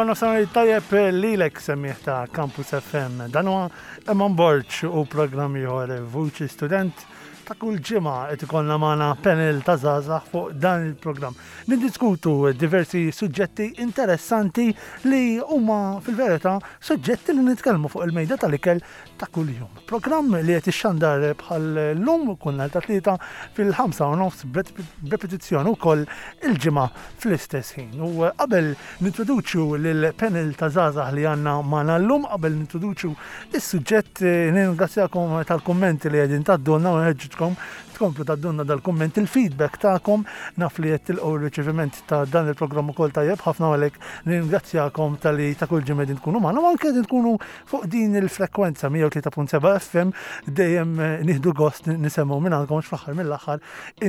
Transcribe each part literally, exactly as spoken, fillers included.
Il-għor nofsinhar tajjeb lilek, semmiegħ ta' Campus F M. Dan huwa Eman Borg u programm ieħor, Vuċi Student. Ta' kull ġimgħa qed ikollna magħna panel ta' żgħażagħ fuq dan il-programm. Niddiskutu diversi suġġetti interessanti li huma fil-verità suġġetti li nitkellmu fuq il-mejda tal-ikel ta' kuljum. Programm li qed ixxandar bħal lum kull nhar ta' Tlieta fil-ħamsa u nofs, b'repetizzjoni wkoll il-Ġimgħa fl-istess ħin. U qabel nintroduċu lill-panel ta' żgħażagħ li għandna magħna llum, qabel nintroduċu is-suġġett, nirringrazzjakom tal-kummenti li qegħdin tgħaddulna u nħeġġitkom tkomplu tgħaddulna dal-kumment, il-feedback tagħkom. Naf li qed tilqgħu r-riċeviment ta' dan il-programm ukoll tajjeb ħafna, għalhekk nirringrazzjakom talli ta' kull ġimgħa qegħdin tkunu magħna u anke qegħdin tkunu fuq din il-frekwenza mija u tlieta punt seba' F M. Dejjem nieħdu gost nisimgħu minn għandkom, fl-aħħar mill-aħħar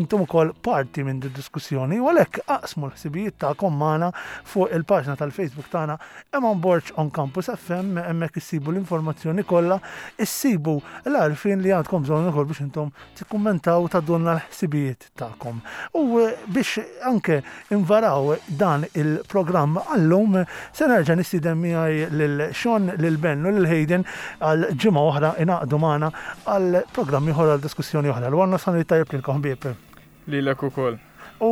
intom ukoll parti minn din diskussjoni u għalhekk aqsmu l-ħsibijiet tagħkom magħna fuq il-paġna tal-Facebook tagħna, Eman Borg on Campus F M. Hemmhekk issibu l-informazzjoni kollha, issibu l-għarfien li għandkom bżonn ukoll biex intom tikkummentaw, tgħaddulna l-ħsibijiet tagħkom. U biex anke invaraw dan il-programm għallum, se nerġa' nistieden miegħi lil Sean, lil Ben u lil Hayden għal ġimgħa oħra ingħaqdu magħna għal programm ieħor, għal diskussjoni oħra. L-għor nofsinhar tajjeb lilkom, ħbieb. Lilek ukoll. U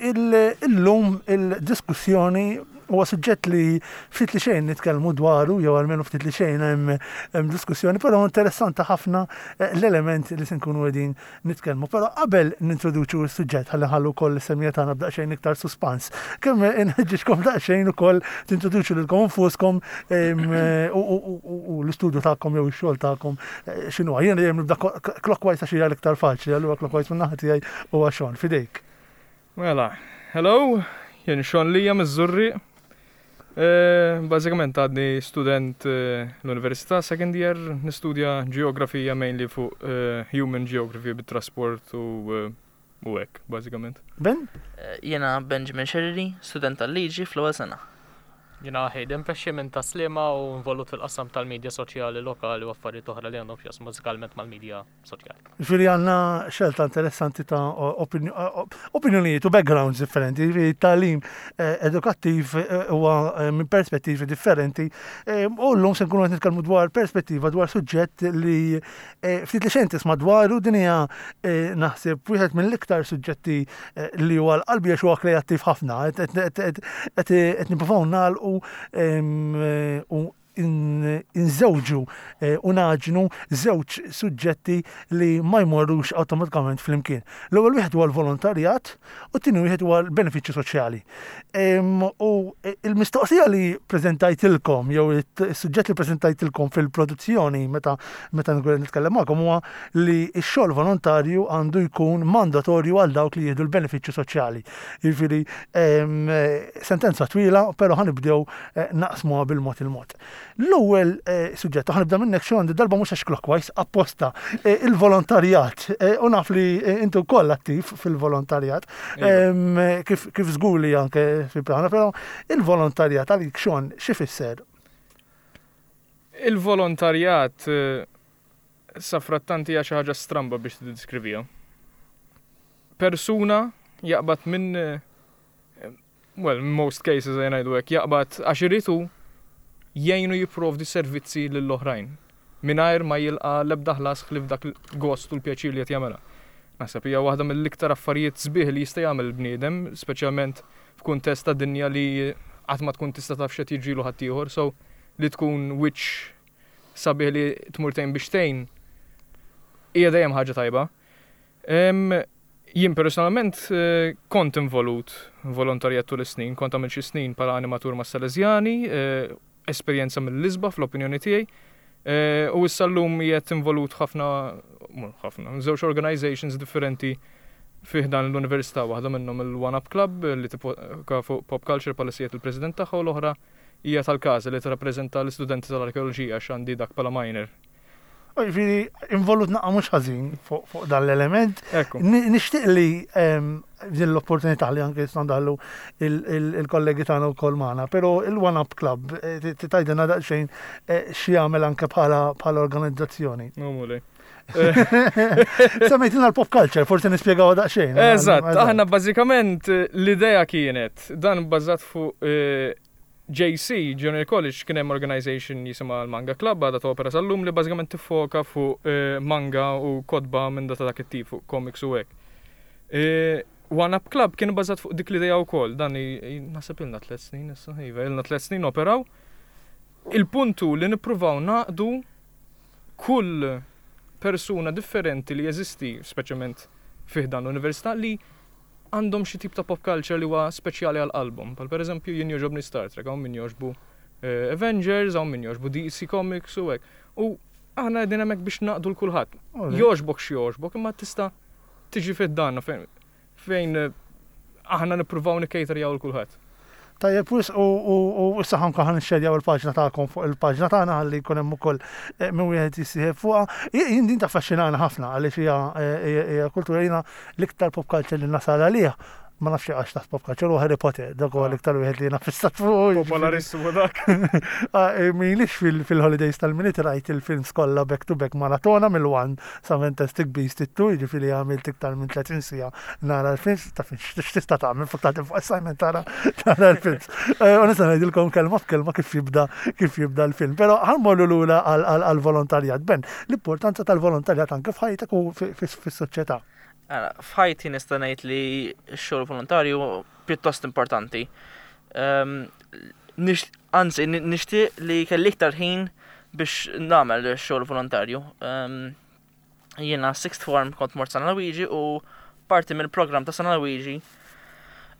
illum il-diskussjoni huwa suġġett li ftit li xejn nitkellmu dwaru, jew almenu ftit li xejn hemm hemm diskussjoni, però interessanti ħafna l-element li se nkunu qegħdin nitkellmu. Però qabel nintroduċu s-suġġett, ħalli nħallu wkoll is-semmiegħa tagħna b'daqsxejn iktar suspans. Kemm inħeġġiġkom daqsxejn ukoll tintroduċu lilkom infuskom u l-istudju tagħkom jew ix-xogħol tagħkom x'inhu. Jiena dejjem nibda clockwise għax hija l-iktar faċli, allura clockwise minn naħa tiegħi huwa Sean, fidejk. Mela, hello, jien Sean Lija miż-Żurrieq. Bażikament għadni student l-università, second year, nistudja geografija, mainly fuq human geography bit-trasport u u hekk, bażikament. Ben? Jiena Benjamin Sherry, student tal-liġi fl-ewwel sena. Jiena Hayden Pesci minn Tas-Sliema u involut fil-qasam tal-medja soċjali lokali u affarijiet oħra li għandhom x'jaqsmu bażikament mal-medja soċjali. Ġifieri għandna xelta interessanti ta' opinjonijiet u backgrounds differenti. Ġifieri tagħlim edukattiv huwa minn perspettivi differenti. U llum se nkunu qed nitkellmu dwar perspettiva, dwar suġġett li ftit li xejn tisma' dwaru. Din hija, naħseb, wieħed mill-iktar suġġetti li huwa l-qalbi għax huwa kreattiv ħafna. Qed nippruvaw nagħlqu u inżewġu u nagħġnu żewġ suġġetti li ma jmorrux awtomatikament flimkien. L-ewwel wieħed huwa l-volontarjat u t-tieni wieħed huwa l-benefiċċju soċjali. U il-mistoqsija li preżentajtilkom, jew is-suġġett li preżentajtilkom fil-produzzjoni meta meta nitkellem magħkom, huwa li x-xogħol volontarju għandu jkun mandatorju għal dawk li jieħdu l-benefiċċju soċjali. Jiġifieri sentenza twila, però ħa nibdew naqsmuha bil-mod il-mod. L-ewwel suġġett, ħa nibda minnek, Sean, darba mhux għax clockwise, apposta, il-volontarjat. U naf li inti wkoll attiv fil-volontarjat, kif kif żgur li anke fi plana, però il-volontarjat għalik, Sean, xi fisser? Il-volontarjat safrattanti hija xi ħaġa stramba biex tiddeskriviha. Persuna jaqbad minn, well, in most cases ngħidu hekk, jaqbad għax irid jgħinu jipprovdi servizzi lill-oħrajn mingħajr ma jilqa l-ebda ħlas ħlief dak il-gost u l-pjaċir li qed jagħmilha. Naħseb hija waħda mill-iktar affarijiet sbieħ li jista' jagħmel il-bniedem, speċjalment f'kuntest ta' dinja li qatt ma tkun tista' taf x'qed jiġrilu ħaddieħor, so li tkun wiċċ sabiħ li tmur tgħin biex tgħin hija dejjem ħaġa tajba. Jien personalment kont involut volontarjat tul is-snin, kont għamilt xi snin bħala animatur mas-Salesjani, esperjenza mill-isbaħ fl-opinjoni tiegħi. U issa llum qiegħed involut ħafna, ħafna, żewġ organizations differenti fih dan l-università, waħda minnhom il-One Up Club li tiffoka fuq pop culture bħala il-president tagħha u l-oħra hija tal-każa li tirrappreżenta l-istudenti tal-arkeoloġija, għax għandi dak bħala minor. Ġifieri, involut naqra mhux ħażin fuq dan l-element. Nixtieq li din l-opportunità li anke ndaħlu il-kollegi tagħna wkoll magħna, però il-One Up Club, tgħidilna daqsxejn x'jagħmel anke bħala organizzazzjoni? No, mulej. Semmejtilna l-pop culture, forsi nispjegaw daqsxejn. Eżatt, aħna bażikament l-idea kienet dan bbażat fuq J C, Junior College, kien hemm organization jisimha l-Manga Club, għadha topera sal-lum, li bażikament tiffoka fuq eh, manga u kotba minn data dak it-tip, fuq comics u hekk. Eh, One Up Club kien bażat fuq dik l-idea wkoll, dan i- i- naħseb ilna tliet snin issa, iva, ilna tliet snin operaw. Il-puntu li nippruvaw naqdu kull persuna differenti li jeżisti, speċjalment fih dan l-università, li għandhom xi tip ta' pop culture li huwa speċjali għal qalbhom. Bħal pereżempju jien jogħġobni Star Trek, hawn min jogħġbu eh, Avengers, hawn min jogħġbu D C Comics u hekk. U aħna qegħdin hemmhekk biex naqdu 'l kulħadd. Jogħġbok x'jogħġbok, imma tista' tiġi fid-danna fejn fejn eh, aħna nippruvaw nikkejterjaw 'l kulħadd. Tajjeb, wisq, u u u issa ħanka ħan nxerjaw il-paġna tagħkom fuq il-paġna tagħna ħalli jkun hemm ukoll eh, min wieħed jissieħeb fuqha. Jien din taffaxxinana ħafna għaliex hija eh, hija hija kultura. Jiena l-iktar pop culture li nasal għalih, ma nafx għax taħt pop culture, u Harry Potter, dak huwa l-iktar wieħed li jiena fissat fuq. Popolarissimu dak. Ah, eh, M'ilix fil-holidays tal-Milied rajt il-films kollha back to back maratona mill-one sa Fantastic Beast it-two, jiġifieri għamilt iktar minn tletin siegħa nara l-films, ta' fin x'tista' tagħmel fuq tagħti fuq assignment tara tara l-films. Eh, U nista' ngħidilkom kelma f'kelma kif jibda kif jibda l-film. Però ħa mmorru lura għall-volontarjat. Ben, l-importanza tal-volontarjat anke f'ħajtek u fi- fi- fis-soċjetà. Ara, f'ħajti nista' ngħid li x-xogħol volontarju pjuttost importanti. Um, nix, anzi, ni- nixtieq li kelli iktar ħin biex nagħmel x-xogħol volontarju. Um, jiena sixth form kont mort San Luigi u parti mill-programm ta' San Luigi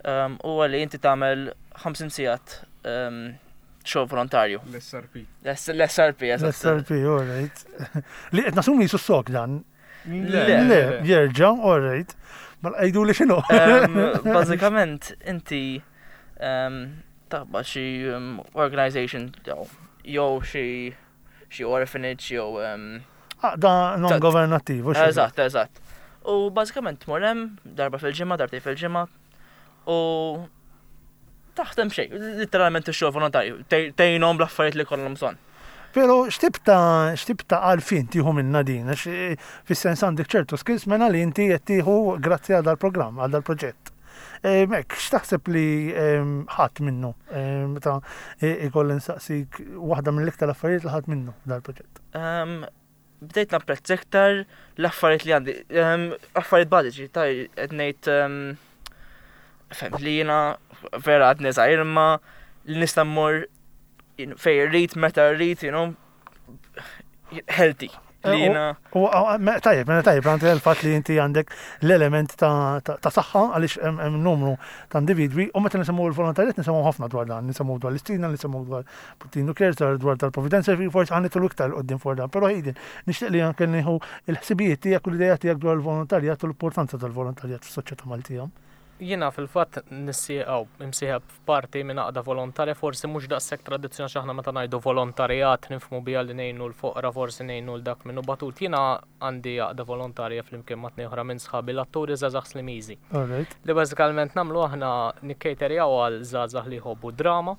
um, huwa li inti tagħmel ħamsin sigħat um, xogħol volontarju. L-S R P. L-S R P, eżatt. L-S R P, all right. Li qed nasumi jisu sok dan. Le. Le, jerġa', all right. Ma għidu li x'inhu. Um, Bażikament, inti um, taqbad xi um, organization jew jew xi xi orphanage jew um, Ah, da non-governattiv. U xi. Eżatt, eżatt. U bażikament tmur hemm darba fil-ġimgħa, darbtejn fil-ġimgħa u taħdem xejn, literalment ix-xogħol volontarju, tgħinhom bl-affarijiet li kollhom bżonn. Pero x'tip ta' x'tip ta' għarfien tieħu minna din, għax eh, fis-sens għandek ċertu skills mena li inti qed tieħu grazzi għal dal-programm, għal dal-proġett. Mek, x'taħseb li em, ħadd minnu? Em, Meta eh, ikolli nsaqsik waħda mill-iktar affarijiet li ħadd minnu dal-proġett. Um, bdejt napprezz iktar l-affarijiet li għandi, um, affarijiet bażiċi, ta' qed ngħid um, fem li jiena vera għadni żgħir imma li nista' mmur fejn rrid, meta rrid, you know, healthy. Li Eh, jiena U u- me- tajjeb, mela tajjeb, għandi il-fatt li inti għandek l-element ta' ta' ta' saħħa għaliex hemm hemm numru ta' individwi u meta nisemmu l-volontarjat nisemmu ħafna dwar dan, nisemmu dwar l-Istina, nisemmu dwar Puttinu Cares, dwar dwar tal-Providenza, forsi ħa nidħlu iktar quddiem fuq dan, però Hayden, nixtieq li anke nieħu il-ħsibijiet tiegħek u l-idea tiegħek dwar il-volontarjat u l-importanza tal-volontarjat fis-soċjetà Maltija. Jiena fil-fatt nissieqaw imsieħeb f'parti minn għaqda volontarja, forsi mhux daqshekk tradizzjonali, x'aħna meta ngħidu volontarjat nifhmu biha li ngħinu l-foqra, forsi ngħinu l dak minnu batut. Jiena għandi għaqda volontarja flimkien ma' tnejn oħra minn sħabi, l-atturi żgħażagħ Slimiżi. All right. Li bażikament nagħmlu aħna nikkejterjaw għal żgħażagħ li jħobbu drama.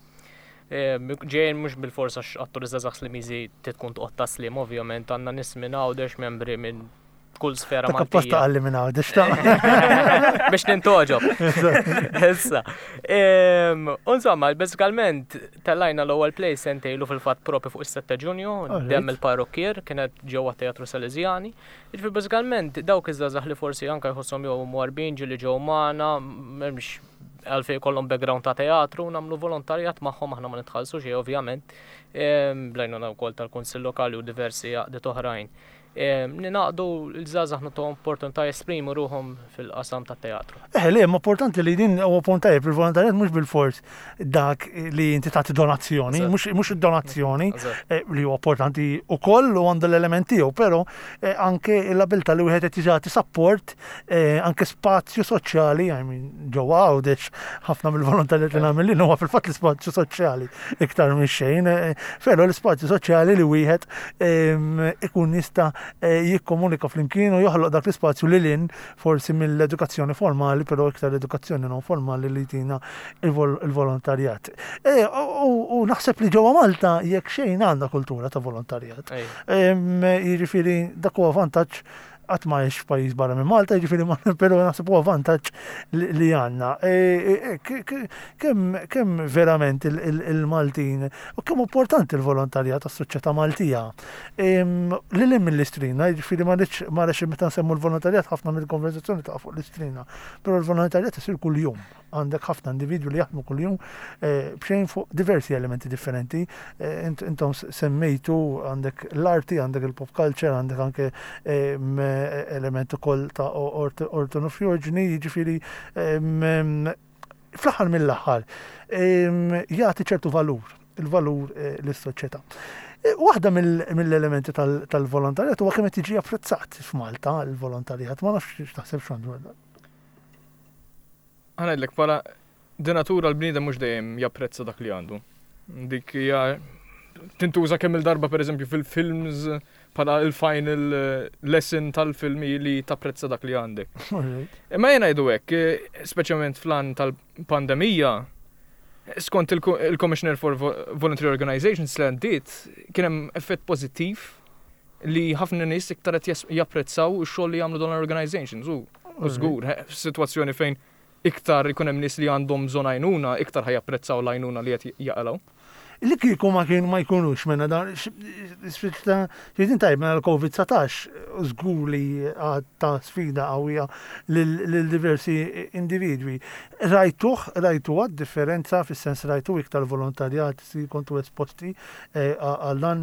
Eh, Ġejjin mhux bil-forsa atturi żgħażagħ Slimiżi tkun toqgħod taslim, ovvjament għandna nies minn Għawdex, membri minn kull sfera Ta' apposta Maltija. għalli minn Għawdex ta' Biex nintogħġob. Issa. Em, Insomma, bażikament tellajna l-ewwel play sentejn ilu fil-fatt, propju fuq is-sitta Ġunju, Alright. Demm il-Parrokkier, kienet ġewwa Teatru Salesiani. Jiġifieri bażikament dawk iż-żgħażagħ li forsi anke jħosshom jew mwarbin ġieli ġew magħna, m'hemmx għalfejn kollhom background ta' teatru, nagħmlu volontarjat magħhom, aħna ma nitħallsu xejn ovvjament. Em, Bl-għajnuna wkoll tal-Kunsill Lokali u diversi għaqdiet oħrajn. Em, Ninaqdu l-żgħażagħ, nagħtuhom opportunità jesprimu ruħhom fil-qasam tat-teatru. Eh, le, ma importanti li din huwa punt tajjeb, il-volontarjat mhux bil-fors dak li inti tagħti donazzjoni, Eżatt. mhux mhux id-donazzjoni Eżatt. eh, li huwa importanti ukoll u għandu l-element tiegħu, però eh, anke l-abilità li wieħed qed jagħti support, eh, anke spazju soċjali, I mean, ġewwa Għawdex ħafna mill-volontarjat li nagħmel li huwa fil-fatt l-ispazju soċjali iktar minn xejn, eh, però l-ispazju soċjali li wieħed em, ikun jista' eh, jikkomunika flimkien u joħloq dak l-ispazju li lin forsi mill-edukazzjoni formali, però iktar edukazzjoni non formali li tina il-vol- il-volontarjat. E, u u naħseb li ġewwa Malta jekk xejn għandna kultura ta' volontarjat. Ej. Em, Jiġifieri dak huwa vantaġġ Qatt ma għex f'pajjiż barra minn Malta, jiġifieri ma però naħseb huwa vantaġġ li li għandna. E, e, e, kemm kemm verament il-Maltin u kemm importanti l-volontarjat tas-soċjetà Maltija. Lil hinn mill-Istrina, jiġifieri ma rridx ma rridx meta nsemmu l-volontarjat ħafna mill-konversazzjoni ta' fuq l-Istrina, però l-volontarjat isir kuljum. Għandek ħafna individwi li jaħdmu kuljum eh, b'xejn fuq diversi elementi differenti. Eh, intom semmejtu għandek l-arti, għandek il-pop culture, għandek anke element ukoll ta' ortonofjorġni, jiġifieri fl-aħħar mill-aħħar jagħti ċertu valur, il-valur eh, lis-soċjetà. Waħda mill-elementi tal-volontarjat huwa kemm qed jiġi apprezzat f'Malta l-volontarjat, ma nafx x'taħseb x'għandu dwar dan. Ħa ngħidlek bħala di natura l-bniedem mhux dejjem japprezza dak li għandu. Dik hija tintuża kemm il-darba pereżempju fil-films bħala il-final eh, lesson tal-filmi li tapprezza dak li għandek. Imma jena ngħidu hekk, eh, speċjalment fl-an tal-pandemija, skont il-Commissioner for Voluntary Organizations li għandiet, kien hemm effett pożittiv li ħafna nies iktar qed japprezzaw ix-xogħol li jagħmlu dawn l-organizations. U żgur, f'sitwazzjoni fejn iktar ikun hemm nies li għandhom bżonn għajnuna, iktar ħa japprezzaw l-għajnuna li qed jaqalgħu. Li kieku ma kienu ma jkunux mena dan, xidin tajb mena l-Covid dsatax żgur li ta' sfida qawwija lil diversi individwi. Rajtuh, rajtu għad differenza fis-sens rajtu iktar volontarjat si kontu esposti eh, għal dan,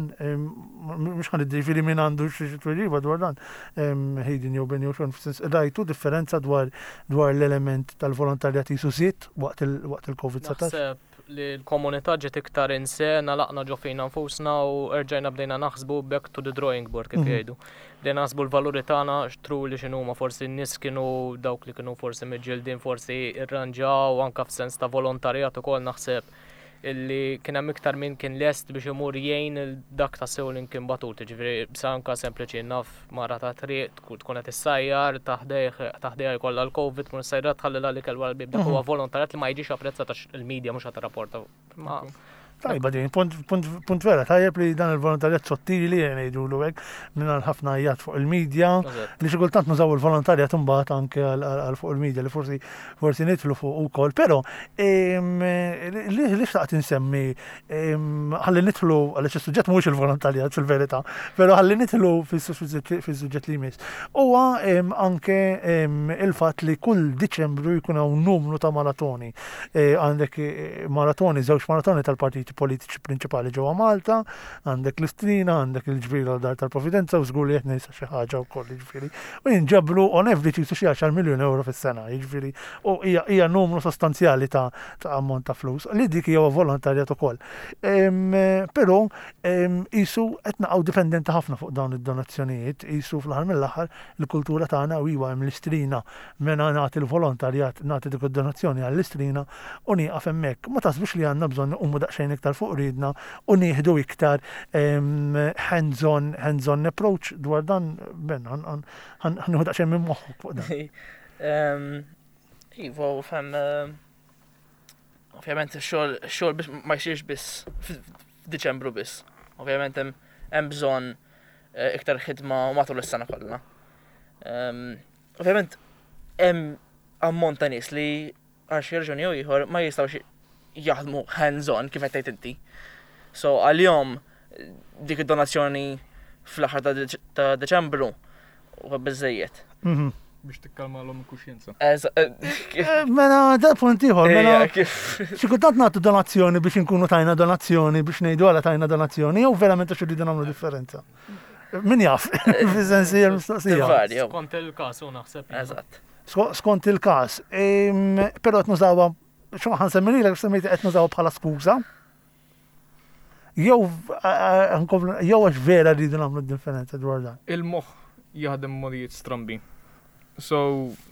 mhux ħa niddi minn għandu xi tweġiba dwar dan, Hayden jew Ben jew xon, fis-sens rajtu differenza dwar dwar l-element tal-volontarjat jisu żied waqt il-Covid dsatax? Li l-komunità ġiet iktar insena laqna ġo fina nfusna u erġajna bdejna naħsbu back to the drawing board kif mhm. jgħidu. Bdejna naħsbu l-valuri tagħna xtru li x'inhuma, forsi n-nies kienu dawk li kienu forsi miġġildin forsi irranġaw anka f'sens ta' volontarjat ukoll. Naħseb illi kien hemm iktar min kien lest biex imur jgħin dak ta' sew li kien batut, ġifieri anka sempliċi naf mara ta' triq tkun qed issajjar taħdejha jkollha l-Covid, tkun issajjar tħallilha l-ikel wara l-bib, dak huwa mhm. volontarjat li ma jiġix apprezzat għax il-medja mhux qed tirrapporta. Tajba din, punt, punt, punt vera, tajjeb li dan il-volontarjat sottili ngħidulu hekk minn ħafna għajjat fuq il-medja, li xi kultant nużaw il-volontarjat imbagħad anke għal fuq il-medja li forsi forsi nidħlu fuq ukoll, però li li xtaqt insemmi ħalli nidħlu għaliex is-suġġett mhuwiex il-volontarjat fil-verità, però ħalli nidħlu fis-suġġett li jmiss. Huwa anke il-fatt li kull Diċembru jkun hawn numru ta' maratoni. E, għandek e, maratoni, żewġ maratoni tal-partiti politiċi prinċipali ġewwa Malta, għandek l-Istrina, għandek il-ġbir dar tal-Providenza u żgur li qed ninsa xi ħaġa wkoll, jiġifieri. U jinġabru on average jisu xi għaxar miljun euro fis-sena, jiġifieri u hija hija numru sostanzjali ta' ta' ammont ta' flus li dik hija volontarjat ukoll. Però jisu qed naqgħu dipendenti ħafna fuq dawn id-donazzjonijiet, jisu fl-aħħar mill-aħħar il-kultura tagħna u iwa hemm l-Istrina mena nagħti l-volontarjat, nagħti dik id-donazzjoni għall-Istrina u nieqaf hemmhekk. Ma taħsbux li għandna bżonn nqumu daqsxejn iktar fuq ridna u nieħdu iktar hands-on hands-on approach dwar dan? Ben, ħa nieħu daqsxejn minn moħħok fuq dan. Iva, fem, ovvjament xogħol xogħol biss ma jsirx biss f'Diċembru biss. Ovvjament hemm bżonn eh, iktar ħidma matul is-sena kollha. Ovvjament hemm ammont ta' nies li għal xi raġuni jew ieħor ma jistgħux jaħdmu hands-on kif qed tgħid inti. So għalihom dik id-donazzjoni fl-aħħar ta' Deċembru huwa biżejjed. Mhm. Biex tikkalma l kuxjenza. Eh, eh, mela, da punt ieħor, mela. Xi kultant nagħtu donazzjoni biex inkunu tajna donazzjoni, biex ngħidu għala tajna donazzjoni, jew verament għax irridu nagħmlu differenza. Min jaf, fis-sensi mistoqsija. Skont il-każ u naħseb. Eżatt. Skont il-każ. Però qed nużawha, xo ħa nsemmi lilek, semmejt qed nużawha bħala skuża. Jew jew għax vera rridu nagħmlu differenza dwar dan. Il-moħħ jaħdem modijiet strambi. So,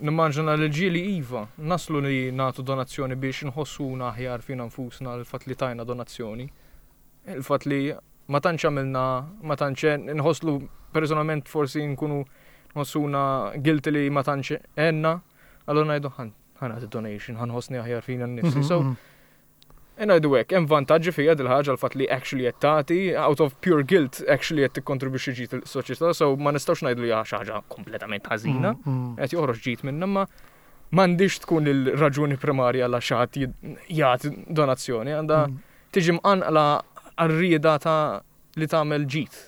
nimmaġina li ġieli iva, naslu li nagħtu donazzjoni biex nħossuna aħjar fina nfusna l-fatt li tajna donazzjoni. Il-fatt li ma tantx għamilna, ma tantx nħosslu personalment forsi nkunu nħossuna guilty li ma tantx għenna, allura ngħidu ħa nagħti donation, ħa nħossni aħjar fina nnifsi. So, mhm, mhm. Ngħidu hekk, hemm vantaġġi fiha dil-ħaġa, l-fatt li actually qed tagħti out of pure guilt, actually qed tikkontribwixxi ġid il-soċjetà, so ma nistgħux ngħidu li hija xi ħaġa kompletament ħażina. Mm, mm. Qed joħroġ ġid minnha, ma m'għandix tkun il-raġuni primarja għal xi ħadd jagħti donazzjoni, għandha Mm. tiġi mqanqla għar-rieda ta' li tagħmel ġid.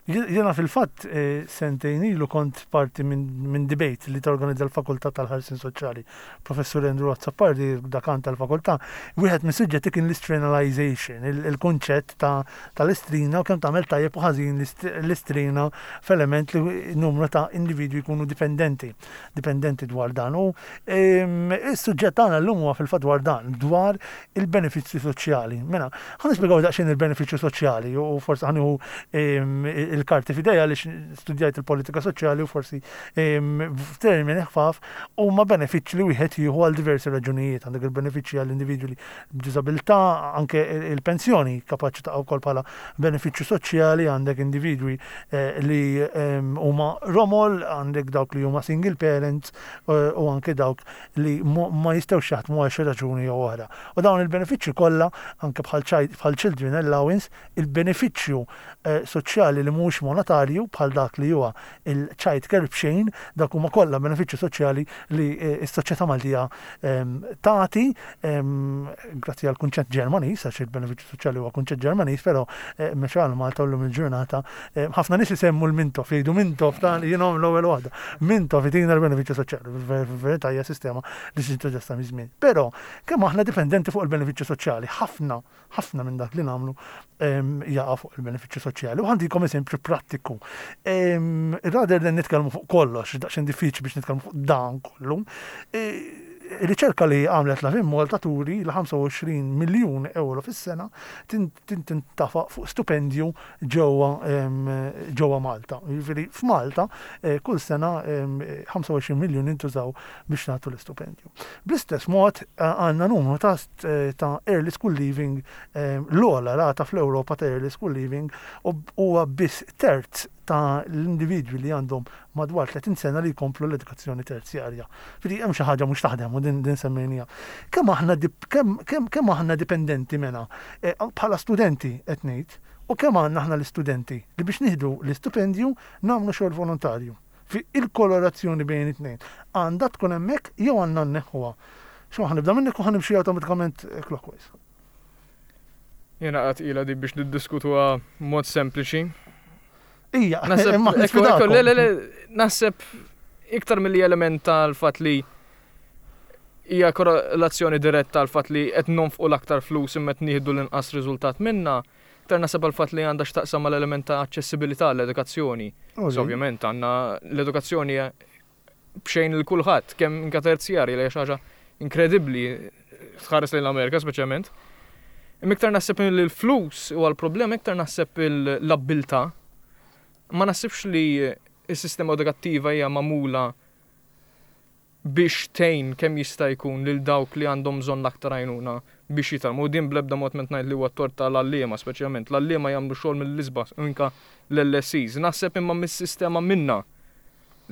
Jena fil-fatt eh, sentejn ilu kont parti minn min debate li torganizza l-Fakultà tal-Ħarsien Soċjali. Professur Andrew Azzopardi, dakan tal-fakultà, wieħed minn suġġetti kien l-istrinalization, il-kunċett ta' tal-istrina u kemm tagħmel tajjeb u ħażin l-istrina f'element li numru ta' individwi jkunu dipendenti, dipendenti dwar dan. U ehm, is-suġġett tagħna llum huwa fil-fatt dwar dan, dwar il-benefiċċji soċjali. Mela, ħa nispjegaw daqsxejn il-benefiċċju soċjali u forsi ħa nieħu ehm, il-karti f'idejja li studjajt il-politika soċjali u forsi ehm, f'termini ħfaf huma benefiċċji li wieħed jieħu għal diversi raġunijiet. Għandek il-benefiċċji għall individwi li b'diżabilità, anke il-pensjoni kapaċi ta' wkoll bħala benefiċċju soċjali, għandek individwi eh, li ehm, huma romol, għandek dawk li huma single parents eh, u anke dawk li ma jistgħux jaħdmu għal xi raġuni jew oħra. U dawn il-benefiċċji kollha, anke bħal children allowance, il-benefiċċju eh, soċjali li mhux monetarju bħal dak li huwa il-child care b'xejn, dak huma kollha benefiċċju soċjali li eh, s-soċjetà Maltija ehm, tagħti ehm, grazzi għal kunċett Ġermaniż, għax il-benefiċċju soċjali huwa kunċett Ġermaniż, però eh, mexa għal Malta llum il-ġurnata eh, ħafna nies isemmu l-Mintoff, jgħidu Mintoff ta' jienhom l-ewwel waħda. Mintoff itina l-benefiċċju soċjali, fil-verità hija sistema li ġiet minn żmien. Però kemm aħna dipendenti fuq il-benefiċċju soċjali, ħafna ħafna minn dak li nagħmlu ehm, jaqa' fuq il-benefiċċju soċjali. U ħa ntikom eżempju prattiku. Rather than nitkellmu fuq kollox, daqsxejn diffiċli biex nitkellmu fuq dan kollu. E, riċerka li għamlet Lovin Malta turi li ħamsa u għoxrin miljun euro fis-sena tintafa fuq stipendju ġewwa ġewwa Malta. Jiġifieri f'Malta eh, kull sena ħamsa u għoxrin miljun intużaw biex nagħtu l-istipendju. Bl-istess mod eh, għandna numru ta' ta' early school leaving, l-ogħla rata fl-Ewropa ta' early school leaving, u huwa biss terz ta' l-individwi li għandhom madwar tletin sena li jkomplu l-edukazzjoni terzjarja. Fidi hemm xi ħaġa mhux taħdem u din din semmejnija. Kemm aħna kemm kemm kemm aħna dipendenti mena eh, bħala studenti qed ngħid, u kemm għandna aħna l-istudenti li biex nieħdu l-istipendju nagħmlu xogħol volontarju? Fi il-korrelazzjoni bejn it-tnejn għandha tkun hemmhekk jew għandna nneħħuha? Xo ħa nibda minnek u ħa nimxi awtomatikament clockwise. Jena għat ila di biex niddiskutuha mod sempliċi. Ija, Naħseb, imma ekku, ekku, le, le, le, naħseb iktar mill-li element tal-fat li hija korrelazzjoni diretta tal-fat li qed nonfqu l-aktar flus imma qed nieħdu l-inqas riżultat minna, iktar naħseb għal-fatt li għandha x'taqsam mal-element ta' aċċessibilità l-edukazzjoni. So, ovvjament għandna l-edukazzjoni b'xejn lil kulħadd, kemm inka terzjarji, li hija xi ħaġa inkredibbli tħares lejn l-Amerika speċjalment. Imma iktar naħseb li l-flus huwa l-problema, iktar naħseb l-abbiltà. Ma naħsibx li s-sistema edukattiva hija magħmula biex tgħin kemm jista' jkun lil dawk li għandhom bżonn l-aktar għajnuna biex jitgħallmu. U din bl-ebda mod ment ngħid li huwa tort tal-għalliema speċjalment. L-għalliema jagħmlu xogħol mill-isbaħ inka l-L S Es. Naħseb imma mis-sistema minna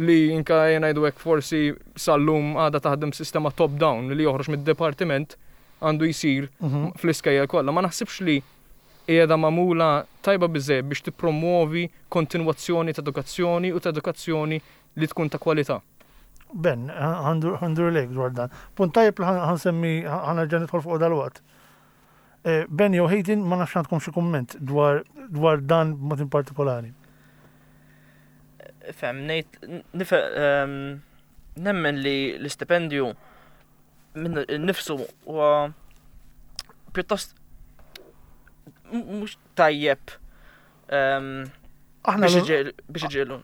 li inka ngħidu hekk forsi sal-lum għadha taħdem sistema top-down li joħroġ mid-dipartiment għandu jsir Mhm. fl-iskejjel kollha. Ma naħsibx li qiegħda magħmula tajba biżejjed biex tippromuovi kontinwazzjoni ta' edukazzjoni u ta' edukazzjoni li tkun ta' kwalità. Ben, ħa ndur lejk dwar dan. Punt tajjeb li ħa nsemmi, ħa nerġa' nidħol fuq dal-waqt. Eh, Ben jew Hayden, ma nafx għandkom xi kumment dwar dwar dan b'mod in partikolari. Fem, ngħid, nife, ehm, nemmen li l-istipendju minn nifsu huwa pjuttost m- mhux tajjeb ehm, Aħna biex iġiel- biex iġielu.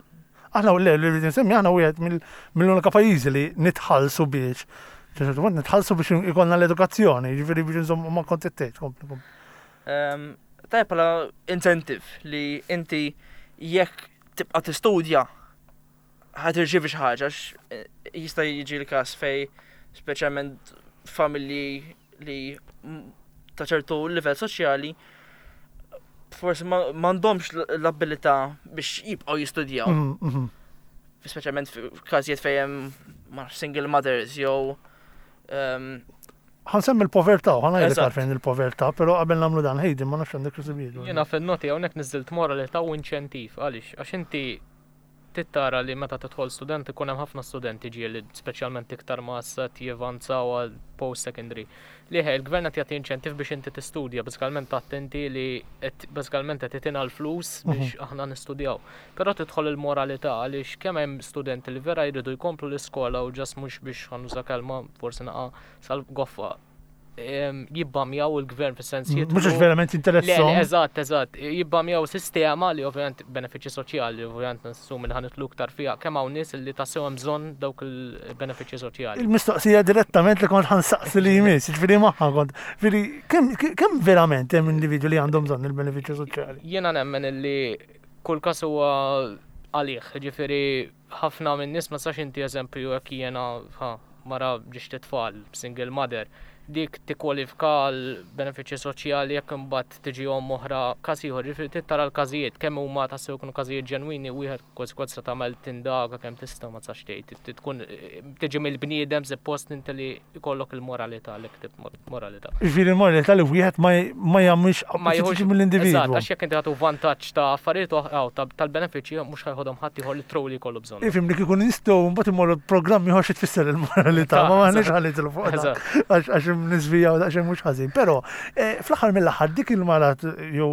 Aħna le li rrid nsemmi, aħna wieħed mill- mill-unika pajjiżi li nitħallsu biex ċertu mod nitħallsu biex ikollna l-edukazzjoni, jiġifieri biex nżommu ma kont tgħid, kompli, kompli. Ehm, Tajjeb bħala incentive li inti jekk tibqa' tistudja ħa tirċievi xi ħaġa, għax eh, jista' jiġi l-każ fej speċjalment familji li m- ta' ċertu livell soċjali forsi ma- m'għandhomx l-abilità biex jibqgħu jistudjaw. Mhm, mhm. Speċjalment f'każijiet fejn hemm ma nafx, single mothers jew ehm, Ħa nsemmi l-povertà, ħa ngħidlek Eżatt. għalfejn il-povertà, però qabel nagħmlu dan Hayden ma nafx għandek xi Jiena fil-noti hawnhekk niżilt moralità u inċentiv għaliex għax inti tittara li meta tidħol student ikun hemm ħafna studenti ġieli speċjalment iktar ma issa jivanzaw għal post secondary. Li ħej il-gvern qed jagħti inċentiv biex inti tistudja, bażikalment attenti li qed bażikalment qed itina l-flus biex aħna nistudjaw. Però tidħol il-moralità għaliex kemm hemm studenti li vera jridu jkomplu l-iskola u just mhux biex ħa nuża kelma forsi naqa sal-goffa em, jibbamjaw il-gvern fis-sens Mhux jidħlu- għax verament Le, le, interessahom. eżatt, eżatt. Jibbamjaw sistema li ovvjament benefiċċji soċjali, ovvjament nassumi li ħa nidħlu iktar fiha, kemm hawn nies li tassew hemm bżonn dawk il-benefiċċji soċjali. Il-mistoqsija direttament li kont ħa nsaqsi li jmiss, ġifieri magħha kont. Ġifieri kemm kemm verament hemm individwi li għandhom bżonn il-benefiċċju soċjali? Jiena nemmen illi kull każ huwa għalih, ġifieri ħafna minn nies ma sax inti eżempju jekk jiena ha, mara b'żewġt itfal, single mother, dik tikkwalifika għal benefiċċji soċjali jekk imbagħad tiġi omm oħra każ ieħor, ġifieri trid tara l-każijiet kemm huma tassew jkunu każijiet ġenwini wieħed kważi kważi se tagħmel tindaga kemm tista' ma tistax tgħid. Trid tkun tiġi mill-bniedem suppost inti li jkollok il-moralità li ktib moralità. Ġifieri l-moralità li wieħed ma ma jagħmilx Ma jieħux tiġi mill-individwu. Eżatt, għax jekk inti ħatu vantaġġ ta' affarijiet oħra ta' tal-benefiċċji mhux ħa jħodhom ħadd ieħor li truly jkollu bżonn. Ifhem li kieku nistgħu mbagħad immorru programmi ieħor xi tfisser il-moralità, ma m'aħniex ħa nidħlu fuq dak. Eżatt. Għax għax nisvijaw daqsxejn mhux ħażin. Però eh, fl-aħħar mill-aħħar dik il-mara jew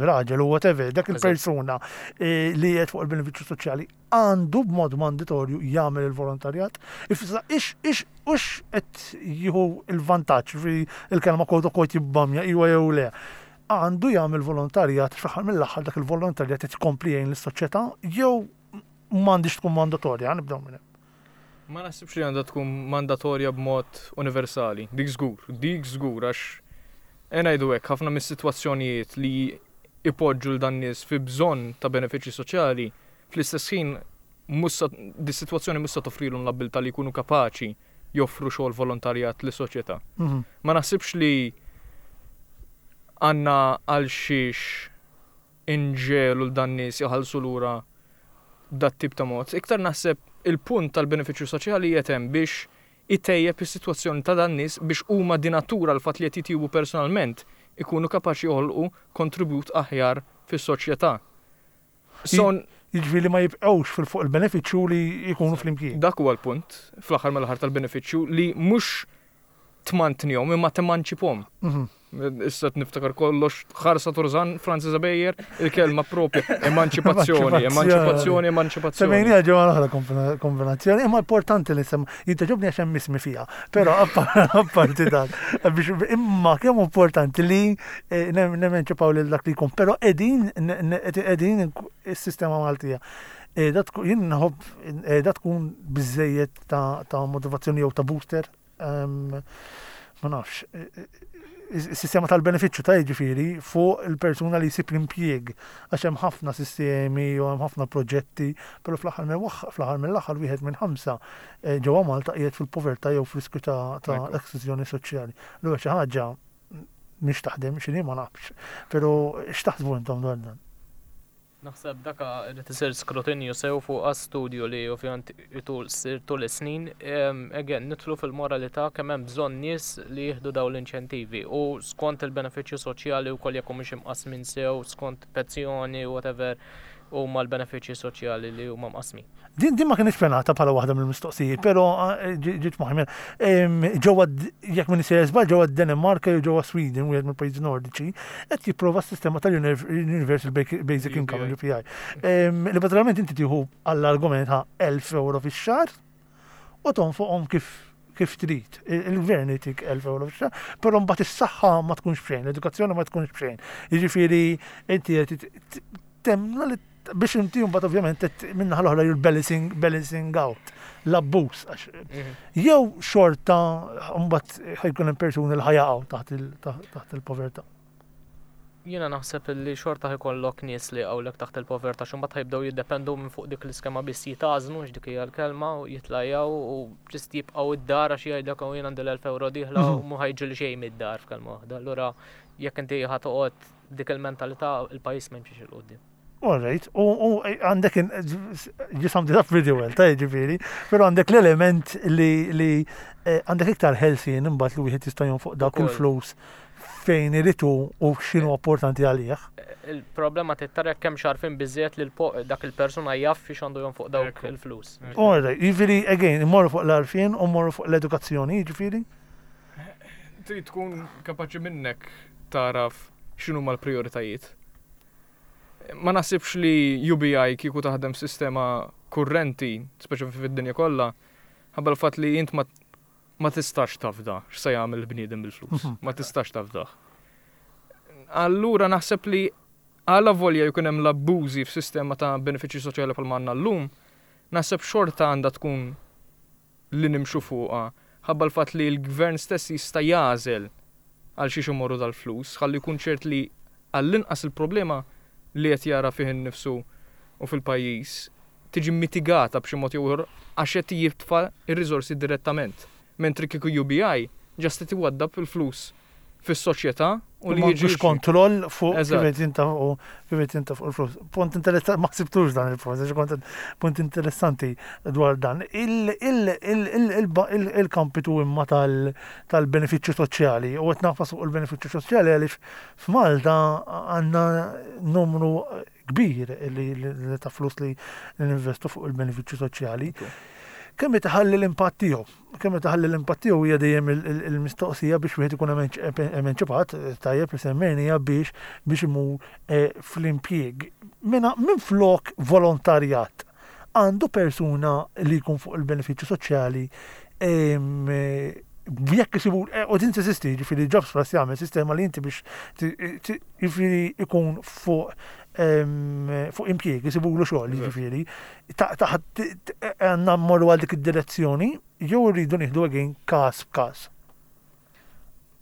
raġel u whatever, dak Eżatt. il-persuna eh, li qed fuq il-benefiċċju soċjali għandu b'mod mandatorju jagħmel il-volontarjat. Ifissa ix ix ux qed jieħu il-vantaġġ fi il-kelma quote unquote jibbamja iwa jew le. Għandu jagħmel volontarjat fl-aħħar mill-aħħar dak il-volontarjat qed ikompli jgħin lis-soċjetà jew m'għandix tkun mandatorja, nibdew minn hemm. Ma naħsibx li għandha tkun mandatorja b'mod universali. Dik żgur, dik żgur għax ngħidu hekk ħafna mis-sitwazzjonijiet li ipoġġu 'l dan nies fi bżonn ta' benefiċċji soċjali, fl-istess ħin mhux sa- di sitwazzjoni mhux sa toffrilhom l-abilità li jkunu kapaċi joffru xogħol volontarjat lis-soċjetà. Mhm. Ma naħsibx li għandna għal xiex inġegħlu 'l dan nies jħallsu lura dat tip ta' mod. Iktar naħseb il-punt tal-benefiċċju soċjali jetem biex itejjeb is-sitwazzjoni ta' dan nies biex huma di natura l-fatt li qed jitjiebu personalment ikunu kapaċi joħolqu kontribut aħjar fis-soċjetà. So, Jiġifieri ma jibqgħux fil-fuq il-benefiċċju li jkunu flimkien. dak huwa l-punt fl-aħħar mill-aħħar tal-benefiċċju li mhux tmantnihom imma temanċipahom. Mhm. Issa niftakar kollox ħarsa Turzan, Francis Xavier, il-kelma propja, emanċipazzjoni, emanċipazzjoni, emanċipazzjoni. Semmejnija ġewwa l-oħra kombina- kombinazzjoni, imma importanti li sem jitogħġobni għax hemm ismi fiha. Però apparti dak, biex imma kemm importanti li eh, nem- nemanċipaw lil dak li jkun, però qegħdin qegħdin is-sistema Maltija. Eh, da tkun- Jien nħobb eh, da tkun biżejjed ta' ta' motivazzjoni jew ta' booster. ehm, Ma nafx. eh, eh, Is-sistema tal-benefiċċju ta' jiġifieri fuq il-persuna li jsib l-impjieg għax hemm ħafna sistemi u hemm ħafna proġetti, però fl-aħħar mill fl-aħħar mill-aħħar wieħed minn ħamsa eh, ġewwa Malta qiegħed fil-povertà jew f'riskju ta' ta' Ekku. esklużjoni soċjali. Allura xi ħaġa mhix taħdem x'inhi ma nafx. Però x'taħsbu intom dwar dan? Naħseb daka irid isir skrutinju sew fuq studju li ovvjament itul sir tul is-snin. Em, Again, nidħlu fil-moralità kemm hemm bżonn nies li jieħdu dawn l-inċentivi u skont il-benefiċċju soċjali wkoll jekk mhux imqasmin sew, skont pensjoni, whatever, huma l-benefiċċji soċjali li huma mqasmin. Din din ma kienx pjanata bħala waħda mill-mistoqsijiet, però eh, ġi- ġiet moħħi Em, Ġewwa d- jekk minn sejjer żball ġewwa Danimarka jew ġewwa Sweden, wieħed mill-pajjiżi nordiċi, qed jipprova s-sistema tal-Universal Basic Income, U B I. U B I. Em, Li bażikament inti tieħu għall-argument ha' elf euro fix-xahar u tonfoqhom kif kif trid. Il- Il-gvern jtik elf euro fix-xahar, però mbagħad is-saħħa ma tkunx b'xejn, l-edukazzjoni ma tkunx b'xejn. Jiġifieri inti qed temna li biex inti mbagħad ovvjament qed minnaħa l-oħra you're balancing balancing out l-abbuż għax jew xorta mbagħad ħa jkun hemm persuni li ħa jaqgħu taħt il- taħt il-povertà. Jiena naħseb li xorta ħa jkollok nies li jaqgħulek taħt il-povertà xi mbagħad ħa jibdew jiddependu minn fuq dik l-iskema biss jitgħażnu x'dik hija l-kelma u jitlajjaw u just jibqgħu id-dar għax jgħidlek hawn jien għandi l-elf euro dieħla u mhu ħa jiġri xejn mid-dar f'kelma waħda. Allura jekk inti ħa toqgħod dik il-mentalità il-pajjiż ma jimxiex 'il quddiem. All right, u u għandek you summed it up pretty well, ta' ġifieri, però għandek l-element li li eh, għandek iktar ħelsien imbagħad li wieħed jista' jonfoq dawk Ukoll. il-flus fejn iridu u x'inhu importanti għalih. Il-problema tittarek kemm xarfin biżżejjed li l-po- dak il-persuna jaf fiex għandu jonfoq dawk Ekku. il-flus. All right, jiġifieri, again, immorru fuq l-għarfien u mmorru fuq l-edukazzjoni, jiġifieri. Trid tkun kapaċi minnek taraf x'inhu l-prioritajiet. Ma naħsibx li U B I kieku taħdem sistema kurrenti, speċi fid-dinja kollha, ħabba l-fatt li int ma ma tistax tafda x'se jagħmel il-bniedem bil-flus. Mhm. Ma tistax tafdah. Allura naħseb li għala volja jkun hemm l-abbużi f'sistema ta' benefiċċji soċjali bħal għandna llum, naħseb xorta għandha tkun li nimxu fuqha ħabba l-fatt li l-gvern stess jista' jagħżel għal xiex imorru dal-flus, ħalli jkun ċert li għall-inqas il-problema li qed jara fih innifsu u fil-pajjiż tiġi mitigata b'xi mod jew ieħor għax qed jitfa' ir-riżorsi direttament. Mentri kieku U B I just qed iwaddab il-flus fis-soċjetà u U li li jiġi jiġi kontroll fuq kif Eżatt. qed jintafqu kif qed jintafqu l-flus. Punt interessanti, ma ħsibtux dan il-punt, għax kont punt interessanti dwar dan. Il- il- il- il- il- il- Il-kampitu imma tal- tal-benefiċċju soċjali u qed nagħfas fuq il-benefiċċju soċjali għaliex f'Malta għandna numru kbir li li ta' flus li ninvestu fuq il-benefiċċju soċjali. Kemm tħalli l-impatt tiegħu? Kemm tħalli l-impatt tiegħu hija dejjem il- il- il-mistoqsija biex wieħed ikun emanċ- emanċipat, tajjeb li semmejnija biex biex imur eh, fl-impjieg. Minna minn flok volontarjat għandu persuna li jkun fuq il-benefiċċju soċjali em, eh, jekk isibu, eh, u din teżisti, ġifieri Jobs Plus jagħmel sistema li inti biex ti- ti- ġifieri ikun fuq em, fuq impjieg, isibulu xogħol, Eżatt. ġifieri, ta' taħt għandna mmorru għal dik id-direzzjoni, jew rridu nieħdu again każ b'każ.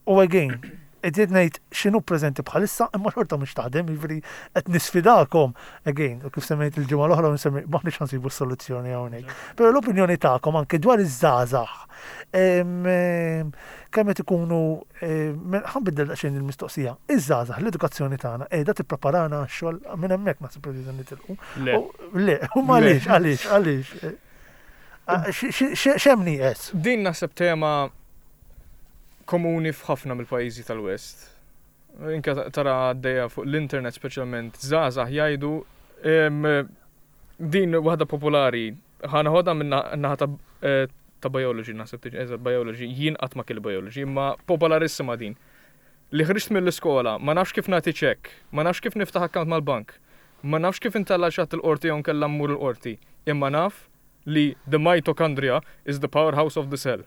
U again, qed ngħid x'inhu preżenti bħalissa imma xorta mhux taħdem, jiġifieri qed nisfidakom again, u kif semmejt il-ġimgħa l-oħra nsemmi m'aħniex ħa nsibu s-soluzzjoni hawnhekk. Però l-opinjoni tagħkom anke dwar iż-żgħażagħ em, em, kemm qed ikunu em, ħa nbiddel daqsxejn il-mistoqsija. Iż-żgħażagħ l-edukazzjoni tagħna qiegħda tippreparana għax-xogħol minn hemmhekk naħseb li nitilqu. Le. U- Le, u għaliex, għaliex, għaliex. Ah, x- x- x- X'hemm nieqes? Din naħseb tema komuni f'ħafna mill-pajjiżi tal-West. Inka tara għaddejja fuq l-internet speċjalment żgħażagħ jgħidu em, din waħda popolari ħa neħodha minn naħa ta' eh, ta' biology naħseb tiġi, eżatt biology, jien qatt ma kelli biology, imma popolarissima din. Li ħriġt mill-iskola, ma nafx kif nagħti ċekk, ma nafx kif niftaħ account mal-bank, ma nafx kif intella' xi ħadd il-qorti jew nkella mmur il-qorti, imma naf li the mitochondria is the powerhouse of the cell.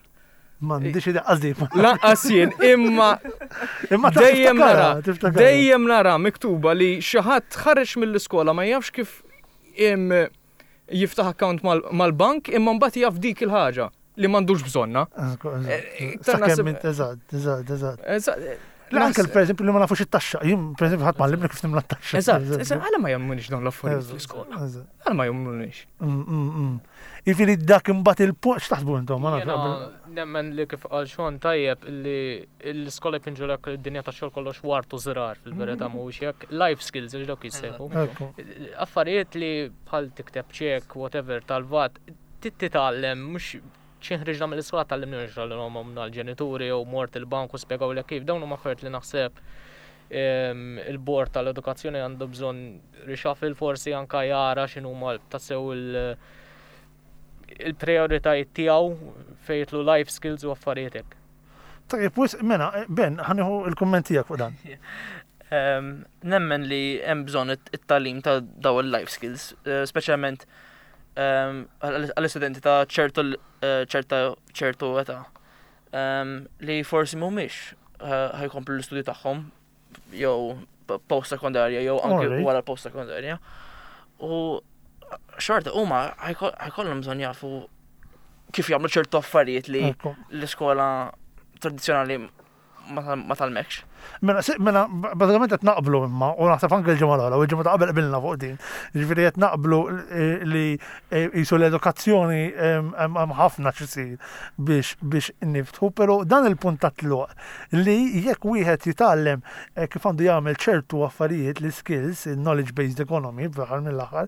M'għandix idea qasdi. Lanqas jien, imma Imma ta' dejjem tiftakarha, nara, tiftakarha. dejjem nara miktuba li xi ħadd ħareġ mill-iskola ma jafx kif im, jiftaħ account mal- mal-bank imma mbagħad jaf dik il-ħaġa li m'għandux bżonna. Eh, iktar Sakemm naħseb- int- Eżatt, eżatt, eżatt. Eżatt, Le, anke per eżempju li ma nafux it-taxxa. Jien per eżempju ħadd m'għallimni kif nimla t-taxxa. Eżatt, eżatt, għala ma jagħmlunix dawn l-affarijiet Eżatt, fl-iskola. eżatt. Għala ma jagħmlunix. Mm, mm, mm. Jiġifieri dak imbagħad il-punt x'taħsbu intom? Ma Jiena nafx. nemmen li kif qal Sean tajjeb li l-iskola jpinġulek id-dinja ta' xogħol kollox ward u żrar fil-verità mhuwiex hekk. Life skills il dawk jissejħu. Ekku. Affarijiet li bħal tikteb ċek, whatever, tal-VAT, titgħallem mhux ħriġna mill-iskola tgħallimni l-omna l-ġenituri jew mort il-bank u spjegaw li kif dawn huma affarijiet li naħseb em, il-bord tal-edukazzjoni għandu bżonn reshuffle forsi anka jara x'inhuma tassew il- il-prioritajiet tiegħu fejn jidħlu life skills u affarijiet hekk. Tajjeb, wis, mela, Ben, ħa nieħu il-kumment tiegħek fuq dan. Em, Nemmen li hemm bżonn it- it-tagħlim ta' daw il-life skills, eh, speċjalment em, għall- għall-istudenti ta' ċertu l- eh, ċerta ċertu età em, li forsi mhumiex eh, ħa jkomplu l-istudju tagħhom jew post sekondarja jew anke Alright. wara post sekondarja. U xorta huma ħa jko- ħa jkollhom bżonn jafu kif jagħmlu ċertu affarijiet li Ekku. l-iskola tradizzjonali ma tal- ma tgħallmekx. Mela, mela, bażikament qed naqblu imma, u naħseb anke l-ġimgħa l-oħra, u l-ġimgħa ta' qabel qbilna fuq din. Jiġifieri qed naqblu li qisu l-edukazzjoni hemm ħafna x'isir biex biex niftħu, però dan il-punt ta' tluq li jekk wieħed jitgħallem eh, kif għandu jagħmel ċertu affarijiet, li skills, knowledge based economy, fl-aħħar mill-aħħar,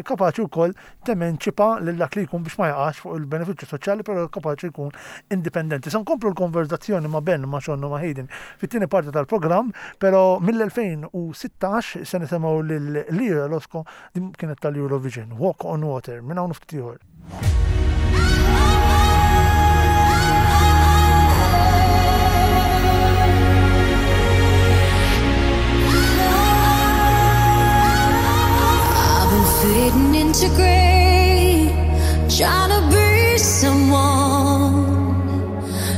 kapaċi wkoll temenċipa lil dak li jkun biex ma jaqax fuq il-benefiċċju soċjali, però kapaċi jkun indipendenti. Se nkomplu l-konverzazzjoni ma' Ben, ma' Sean u ma' Hayden fit-tieni parti tal-programm, però mill-elfejn u sittax se nisimgħu lil Ira Losco, din kienet tal-Eurovision, Walk on Water, minn hawn ftit ieħor. I've been fading into grey, trying to be someone,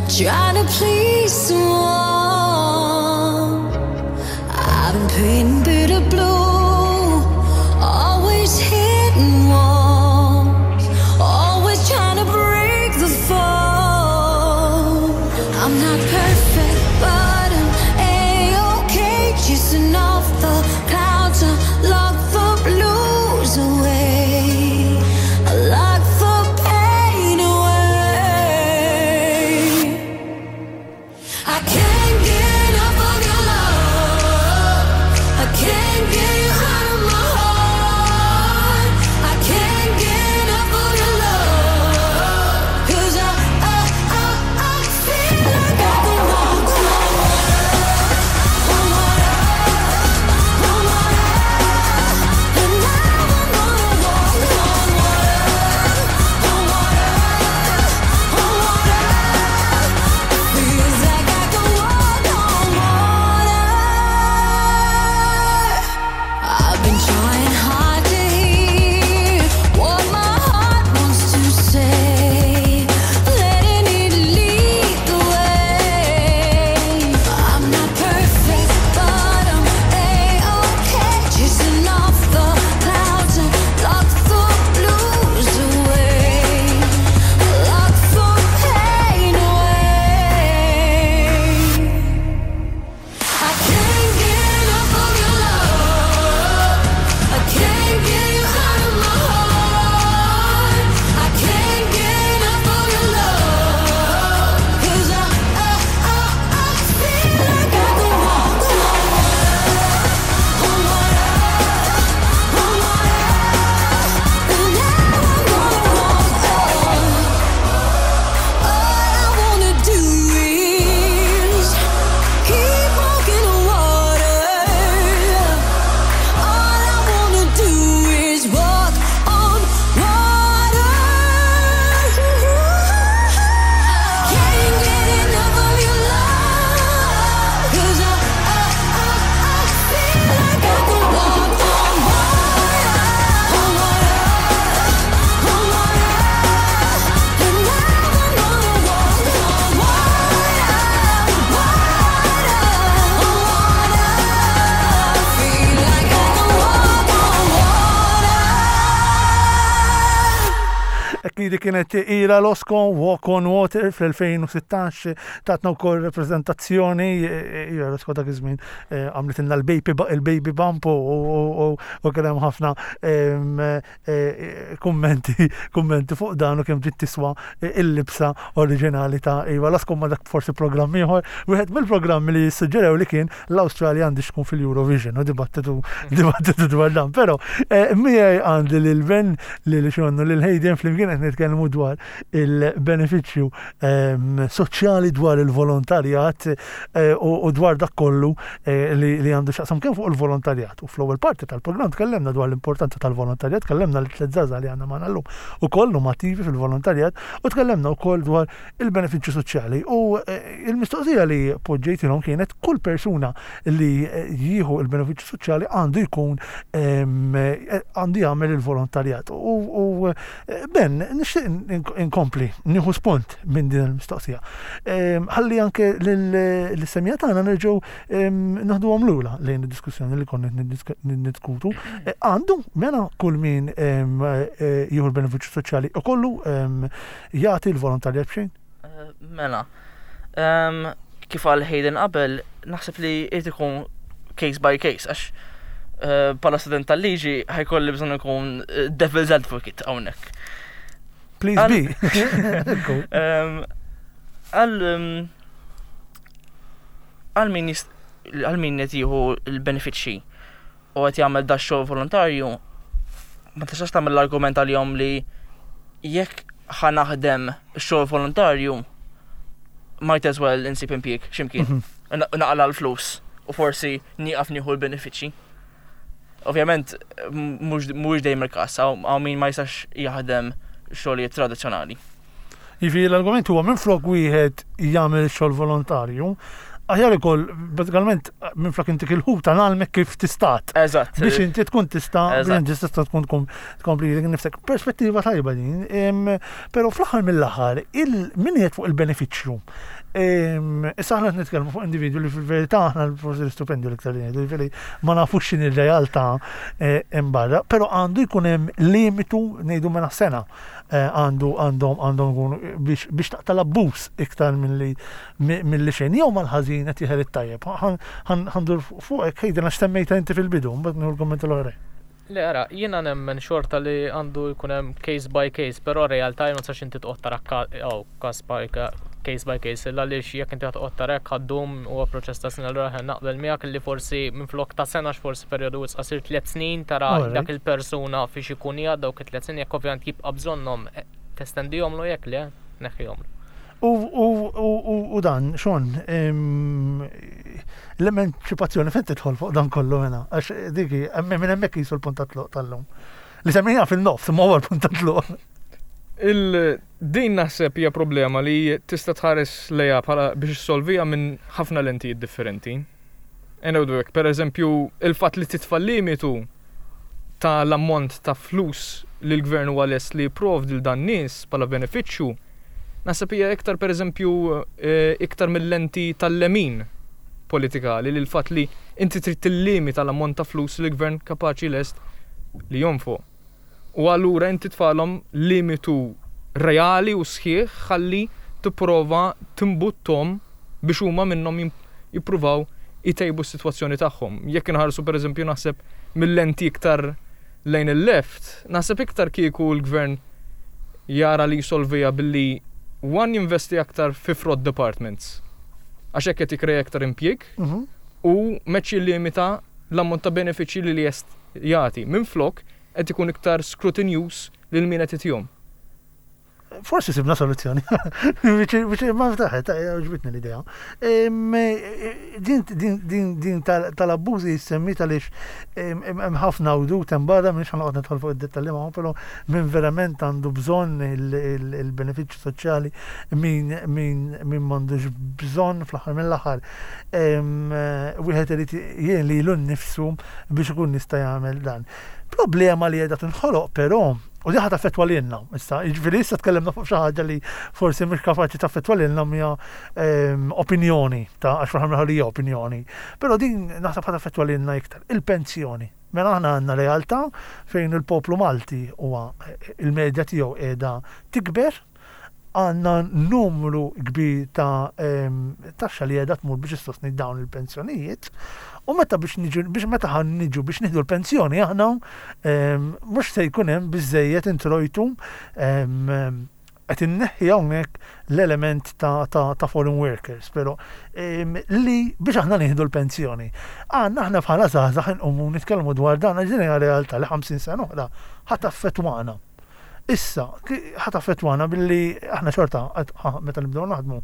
trying to please someone. I've been painting bitter blue, always hitting walls, always trying to break the fall. I'm not perfect, but I'm A-okay, chasing off the clouds, I lock the blues away, I lock the pain away. I can't get enough of your love. I can't get you out of my heart. I can't get enough of your love. 'Cause I, I, I, I feel like I can walk on water, on water, on water. And now I'm gonna walk on water, on water, on water. Feels like I can walk on water. I've been trying hard to hear what my heart wants to say, letting it lead the way. I'm not perfect, but I'm A-okay, chasing off the clouds and lock the blues away, lock the pain away. I can't get enough of your love. I can't get you out of my heart. I can't get enough of your love. 'Cause I, I, I, I feel like I can walk on water, on water, on water. And now I'm gonna walk on. All I wanna do is keep walking on water. All I wanna do is walk on water. I can't get enough of your love. 'Cause I, I, I, I feel like I can walk on water, on water, on water. And now I'm gonna walk on water, water, water. Feel like I can walk on water. Ekkidi kienet Ira Losco, Walk on Water fl-elfejn u sittax, tatna wkoll reprezentazzjoni. Ira Losco dak iż-żmien eh, għamlitilna l-baby il-baby bump u- u u- u kien hemm ħafna em, eh, kummenti kummenti fuq dan u kemm ġiet tiswa il-libsa oriġinali ta' Ira Losco, ma dak forsi programm ieħor. Wieħed mill-programmi li suġġerew li kien l-Awstralja għandi tkun fil-Eurovision u dibattitu dibattitu dwar dan. Però eh, miegħi għandi lil Ben, lil Sean u lil Hayden, flimkien qed nitkellmu dwar il-benefiċċju ehm, soċjali, dwar il-volontarjat eh, u u dwar dak kollu eh, li li għandu x'jaqsam kemm fuq il-volontarjat. U fl-ewwel parti tal-programm tkellemna dwar l-importanza tal-volontarjat, tkellemna li tliet żgħażagħ li għandna magħna llum ukoll huma attivi fil-volontarjat u tkellemna wkoll dwar il-benefiċċju soċjali. U eh, il-mistoqsija li poġġejtilhom kienet kull persuna li eh, jieħu il-benefiċċju soċjali għandu jkun ehm, eh, għandu jagħmel il-volontarjat. U, u eh, Ben, nixtieq inkompli nieħu spunt minn din il-mistoqsija. Ehm, Ħalli anke l-semija tagħna nerġgħu ehm, naħduhom lura lejn id-diskussjoni li konna niddiskutu. Eh, Għandu mela kull min ehm, eh, jieħu l-benefiċċju soċjali u kollu ehm, jagħti l-volontarjat b'xejn? Eh, Mela, Em, kif qal Hayden qabel, Naħseb li irid ikun case by case, għax eh, bħala student tal-liġi ħa jkolli bżonn ikun eh, devil's advocate hawnhekk. Please Għal- be. Cool. Em, Għal em, għal min jist- għal min qed jieħu l-benefiċċji u qed jagħmel da xogħol volontarju, ma tistax tagħmel l-argument għalihom li jekk ħa naħdem xogħol volontarju might as well insib impjieg x'imkien. Mhm. Na- Naqla l-flus u forsi nieqaf nieħu l-benefiċċji. Ovvjament m- mhux mhux dejjem il-każ, hawn hawn min ma jistax jaħdem xogħlijiet tradizzjonali. Jiġifieri l-argument huwa minn flok wieħed jagħmel xogħol volontarju, aħjar ikoll bażikament minn flok intik il-ħuta ngħallmek kif tistat. Eżatt. Biex inti tkun tista' biex Eżatt. inti tista' tkun tkun tkompli lilek nifsek. Perspettiva tajba din, em, però fl-aħħar mill-aħħar il min qiegħed fuq il-benefiċċju. Em, Issa aħna qed nitkellmu fuq individwu li fil-verità aħna forsi l-istipendju l-iktar li ngħidu, jiġifieri ma nafux x'inhi r-realtà eh, hemm barra, però għandu jkun hemm limitu ngħidu mela sena eh, għandu għandhom għandhom ikunu biex biex taqta' l-abbuż iktar milli milli xejn jew mal-ħażin qed jeħel it-tajjeb. Ħa ndur fuqek ħejden għax semmejta inti fil-bidu, mbagħad nieħu l-kumment l-oħra. Le, ara, jiena nemmen xorta li għandu jkun hemm case by case, però realtà ma tistax inti toqgħod tara ka- aw, każ by ka- case by case, illa għaliex jekk inti toqgħod tara hekk ħa ddum huwa proċess ta' sena allura ħa naqbel miegħek li forsi minflok ta' sena forsi perjodu wisq qasir tliet snin tara Alright. dak il-persuna fiex ikun qiegħed dawk it-tliet snin jekk ovvjament jibqa' bżonnhom eh, testendihomlu jekk le, neħħihomlu. U, u, u, u, u dan, Sean, em, l-emanċipazzjoni fejn tidħol fuq dan kollu mena, għax diki, hemm- minn hemmhekk jisu l-punt ta' tluq tal-lum. Li semmejna fil-nofs, ma huwa l-punt ta' tluq. Il-din naħseb hija problema li tista' tħares lejha bħala biex issolvija minn ħafna lentijiet differenti. Ngħidu hekk, per eżempju, il-fatt li titfa' limitu ta' l-ammont ta' flus li l-gvern huwa lest li jipprovdi lil dan nies bħala benefiċċju, naħseb hija iktar per eżempju eh, iktar mill-lenti tal-lemin politikali li l-fatt li inti trid tillimita l-ammont ta' flus li l-gvern kapaċi lest li jonfoq. U allura inti tfalhom limitu reali u sħiħ ħalli tipprova timbuttom biex huma minnhom jim- jippruvaw jtejbu s-sitwazzjoni tagħhom. Jekk inħarsu pereżempju naħseb mill-lenti iktar lejn il-left, naħseb iktar kieku l-gvern jara li jisolvija billi one jinvesti aktar fi fraud departments. Għax hekk qed jikkrea iktar impjieg Mhm. u meċ limita l-ammont ta' benefiċċji li li jest jagħti. Minflok qed ikun iktar scrutinous lil min qed itihom. Forsi sibna soluzzjoni. Biex ma ftaħet, għoġbitni l-idea. Em, eh, Din din din din tal- tal-abbużi semmit għaliex em, em, hemm ħafna wdut hemm barra m'iniex ħa noqgħod nidħol fuq id-dettalji magħhom, però min verament għandu bżonn il- il- il-benefiċċju soċjali min min min m'għandux bżonn fl-aħħar mill-aħħar. Em, eh, Wieħed irid jien lilu nnifsu biex ikun jista' jagħmel dan. Problema li qiegħda tinħoloq però u di ħa taffettwa lilna, issa, jiġifieri issa tkellimna fuq xi ħaġa li forsi mhux kapaċi taffettwa lilna hija ehm, opinjoni ta' għax fl-aħħar mill-aħħar hija opinjoni. Però din naħseb ħa taffettwa lilna iktar. Il-pensjoni. Mela aħna għandna realtà fejn il-poplu Malti huwa il-medja tiegħu qiegħda tikber, għandna numru kbir ta' em, taxxa li qiegħda tmur biex issostni dawn il-pensjonijiet u meta biex niġu biex meta ħa niġu biex nieħdu l-pensjoni aħna em, mhux se jkun hemm biżejjed introjtu em, em, qed inneħħi hawnhekk l-element ta', ta, ta' foreign workers, però em, li biex aħna nieħdu l-pensjoni. Għandna aħna bħala żgħażagħ inqumu nitkellmu dwar dan għax din hija realtà li ħamsin sena oħra ħa taffettwana. Issa, ki- ħa taffettwana billi aħna xorta għad- ħa- meta nibdew naħdmu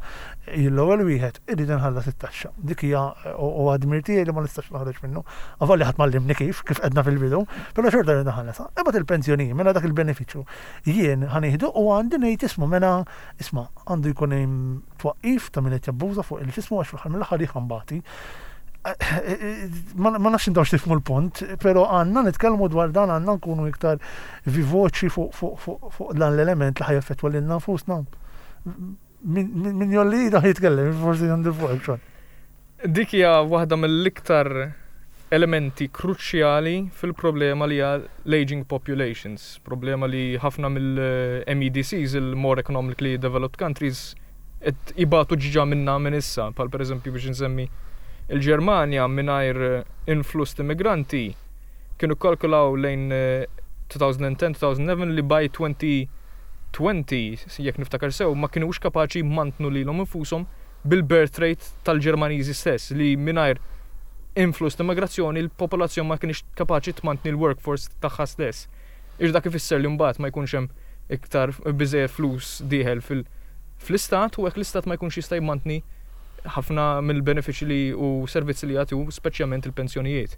l-ewwel wieħed irrid inħallas it-taxxa. Dik hija u u għad-dmir tiegħi li ma nistax noħroġ minnu. Avolja ħadd m'għallimni kif, kif qedna fil-bidu, però xorta rrid inħallas. Imbagħad il-pensjoni, mela dak il-benefiċċju jien ħa nieħdu u għandi ngħid isma' mela isma' għandu jkun hemm twaqqif ta' min qed jabbuża fuq il-ġismu għax fl-aħħar mill-aħħar jħambati. Ma ma nafx intom x'tifhmu l-punt, però għandna nitkellmu dwar dan għandna nkunu iktar vivoċi fuq fuq fuq fuq dan l-element li ħa jaffettwa lilna nfusna. Min min- min jolli da jitkellem, forsi għandu fuq xogħol. Dik hija waħda mill-iktar elementi kruċjali fil-problema li hija l-aging populations, problema li ħafna mill-M E D Cs, il-more economically developed countries, qed ibatu ġiġa minna minn issa, bħal per eżempju biex nsemmi Il-Ġermanja mingħajr influss ta' immigranti kienu kalkulaw lejn elfejn u għaxra-elfejn u ħdax li by twenty twenty, jekk niftakar sew, ma kinux kapaċi mantnu lilhom infushom bil-birth rate tal-Ġermaniżi stess, li mingħajr influss ta' immigrazzjoni l-popolazzjoni ma kienx kapaċi tmantni l-workforce tagħha stess. Ix dak ifisser li mbagħad ma jkunx hemm iktar biżejjed flus dieħel fil- fl-istat u hekk l-istat ma jkunx jista' jmantni ħafna mill-benefiċi li u servizzi li jagħtu, speċjalment il-pensjonijiet.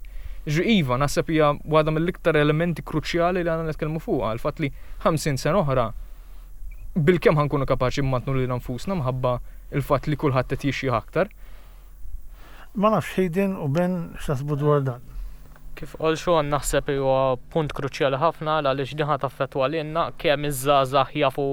Ġi iva, naħseb hija waħda mill-iktar elementi kruċjali li għandna nitkellmu fuqha, il-fatt li ħamsin sena oħra bilkemm ħa nkunu kapaċi mmantnu lil nfusna mħabba il-fatt li kulħadd qed jixjieħ aktar. Ma nafx, Hayden u Ben, x'taħsbu dwar dan? Kif qal Sean, naħseb huwa punt kruċjali ħafna għaliex din ħa taffettwa lilna. Kemm iż-żgħażagħ jafu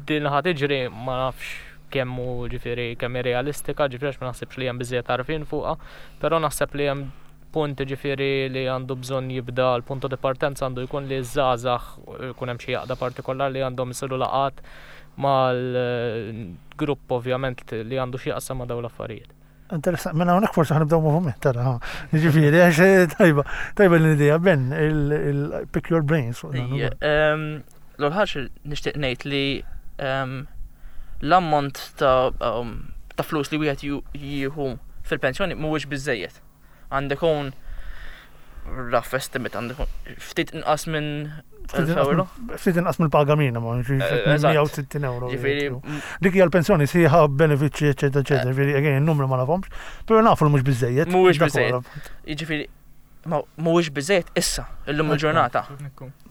din ħa tiġri, ma nafx kemm hu, ġifieri, kemm hi realistika, ġifieri għax ma naħsibx li hemm biżejjed għarfien fuqha, però naħseb li hemm punt, ġifieri, li għandu bżonn jibda, l-punto di partenza għandu jkun li ż-żgħażagħ jkun hemm xi għaqda partikolari li għandhom isiru laqgħat mal-grupp ovvjament li għandu xi jaqsam ma' dawn l-affarijiet. Interessant, mela hawnhekk forsi ħa nibdew moviment, tara, ha. Ġifieri, għax tajba, tajba l-idea, Ben, il-pick your brains fuq dan Ija, ukoll. ehm, L-ewwel ħaġa nixtieq ngħid li ehm, l-ammont ta' um, ta' flus li wieħed ju- jieħu fil-pensjoni mhuwiex biżejjed. Għandek ikun rough estimate, għandek ikun ftit inqas minn elf euro. Ftit inqas mill-paga minima, Eh, eżatt. mija u sittin euro. Ġifieri Dik hija l-pensjoni sħiħa, benefiċċji, eċetera, eċetera. Ġifieri, again, il-numru ma nafhomx, però nafu li mhux biżejjed. Mhuwiex Dak biżejjed. huwa. Jiġifieri ma mhuwiex biżejjed issa, illum il-ġurnata.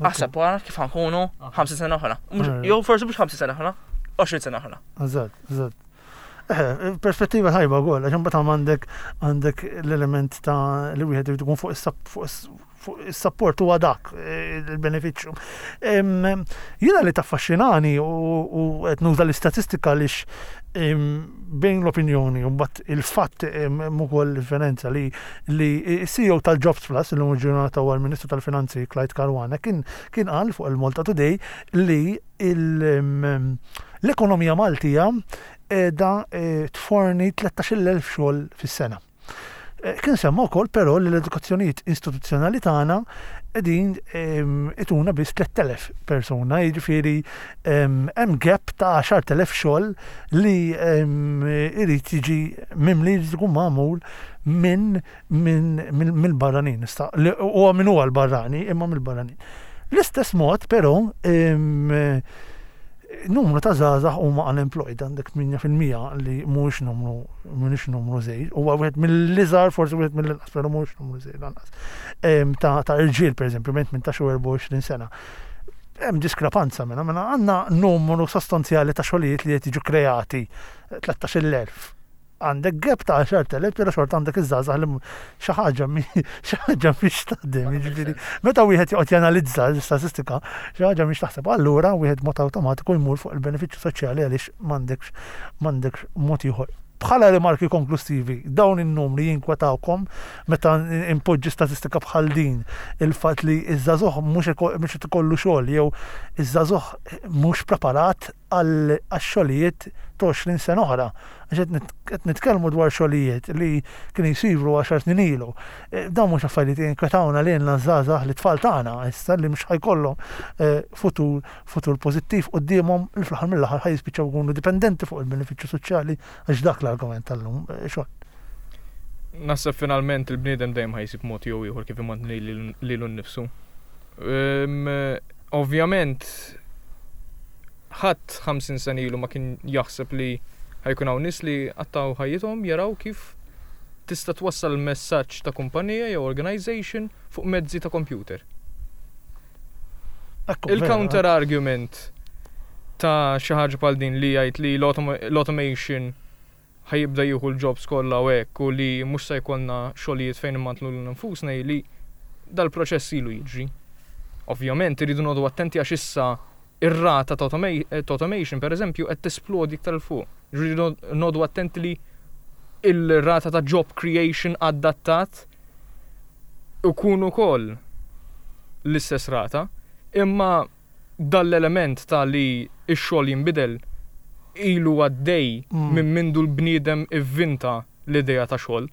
Aħseb wara kif ħa nkunu ħamsin sena oħra. Mhux- Eh. Jew forsi mhux ħamsin sena oħra, għoxrin sena oħra. Eżatt, eżatt. Eh, perspettiva tajba wkoll, għax imbagħad għandek għandek l-element ta' li wieħed irid ikun fuq is-sup- fuq is- fuq is-support huwa dak eh, il-benefiċċju. Em, Jiena li taffaxxinani u u qed nuża l-istatistika għaliex em, bejn l-opinjoni u mbagħad il-fatt em, hemm ukoll differenza li li C E O tal-Jobs Plus, illum il-ġurnata huwa l-Ministru tal-Finanzi Clyde Caruana, kien kien qal fuq il-Malta Today li il- em, l-ekonomija Maltija qiegħda eh, tforni tlettax-il elf xogħol fis-sena. Eh, Kien semma wkoll però li l-edukazzjonijiet istituzzjonali tagħna qegħdin em, ituna biss tlett elef persuna, jiġifieri em, hemm gap ta' għaxart elef xogħol li em, irid jiġi mimli, jrid ikun magħmul minn minn minn mill-barranin. Issa, li huwa min huwa l-barrani, imma mill-barranin. L-istess mod però em, numru ta' żgħażagħ huma unemployed, għandek tmienja fil-mija li mhuwiex numru mhuwiex numru żgħir, huwa wieħed mill-iżgħar, forsi wieħed mill-inqas, però mhuwiex numru żgħir lanqas. Em, Ta' ta' irġiel, pereżempju, bejn tmintax u erbgħa u għoxrin sena. Hemm diskrepanza minna, minna għandna numru sostanzjali ta' xogħlijiet li qed jiġu kreati, tlettax-il elf. Għandek gap ta' għaxart elef, però xorta għandek iż-żgħażagħ li xi ħaġa mi- xi ħaġa mhix taħdem, jiġifieri meta wieħed joqgħod janalizza l-istatistika, xi ħaġa mhix taħseb, allura wieħed mod awtomatiku jmur fuq il-benefiċċju soċjali għaliex m'għandekx m'għandekx mod ieħor. Bħala rimarki konklusivi, dawn in-numri jinkwetawkom meta impoġġi statistika bħal din, il-fatt li iż-żagħżugħ mhux iko- mhux qed ikollu xogħol jew iż-żagħżugħ mhux preparat għal għax-xogħlijiet ta' għoxrin sena oħra? Għax qed nit- qed nitkellmu dwar xogħlijiet li kienu jsiru għaxar snin ilu. Eh, Dawn mhux affarijiet jinkwetawna lilna żgħażagħ, li tfal tagħna issa li mhux ħa jkollhom eh, futur futur pożittiv quddiemhom, li fl-aħħar mill-aħħar ħa jispiċċaw jkunu dipendenti fuq il-benefiċċju soċjali, għax dak l-argument tal-lum. Eh, Xogħol. Naħseb finalment il-bniedem dejjem ħa jsib mod jew ieħor kif imantni lilu nnifsu. Ehm, Ovvjament ħadd ħamsin sena ilu ma kien jaħseb li ħa jkun hawn nies li qattgħu ħajjithom jaraw kif tista' twassal messaġġ ta' kumpanija jew organization fuq mezzi ta' computer. Ekku, Il-counter vera, argument ta' xi ħaġa bħal din li jgħid li l-automa- l-automation ħa jibda jieħu l-jobs kollha u hekk u li mhux se jkollna xogħlijiet fejn immantlu lil nfusna, li dal-proċess ilu jiġri. Ovvjament irridu noqogħdu attenti għax issa ir-rata ta' automa- ta' automation, per eżempju, qed tesplodi iktar 'il fuq. Irridu noqogħdu attenti li il-rata ta' job creation adattat ikun ukoll l-istess rata, imma dal-element ta' li x-xogħol jinbidel ilu għaddej Mm. minn mindu l-bniedem ivvinta l-idea ta' xogħol.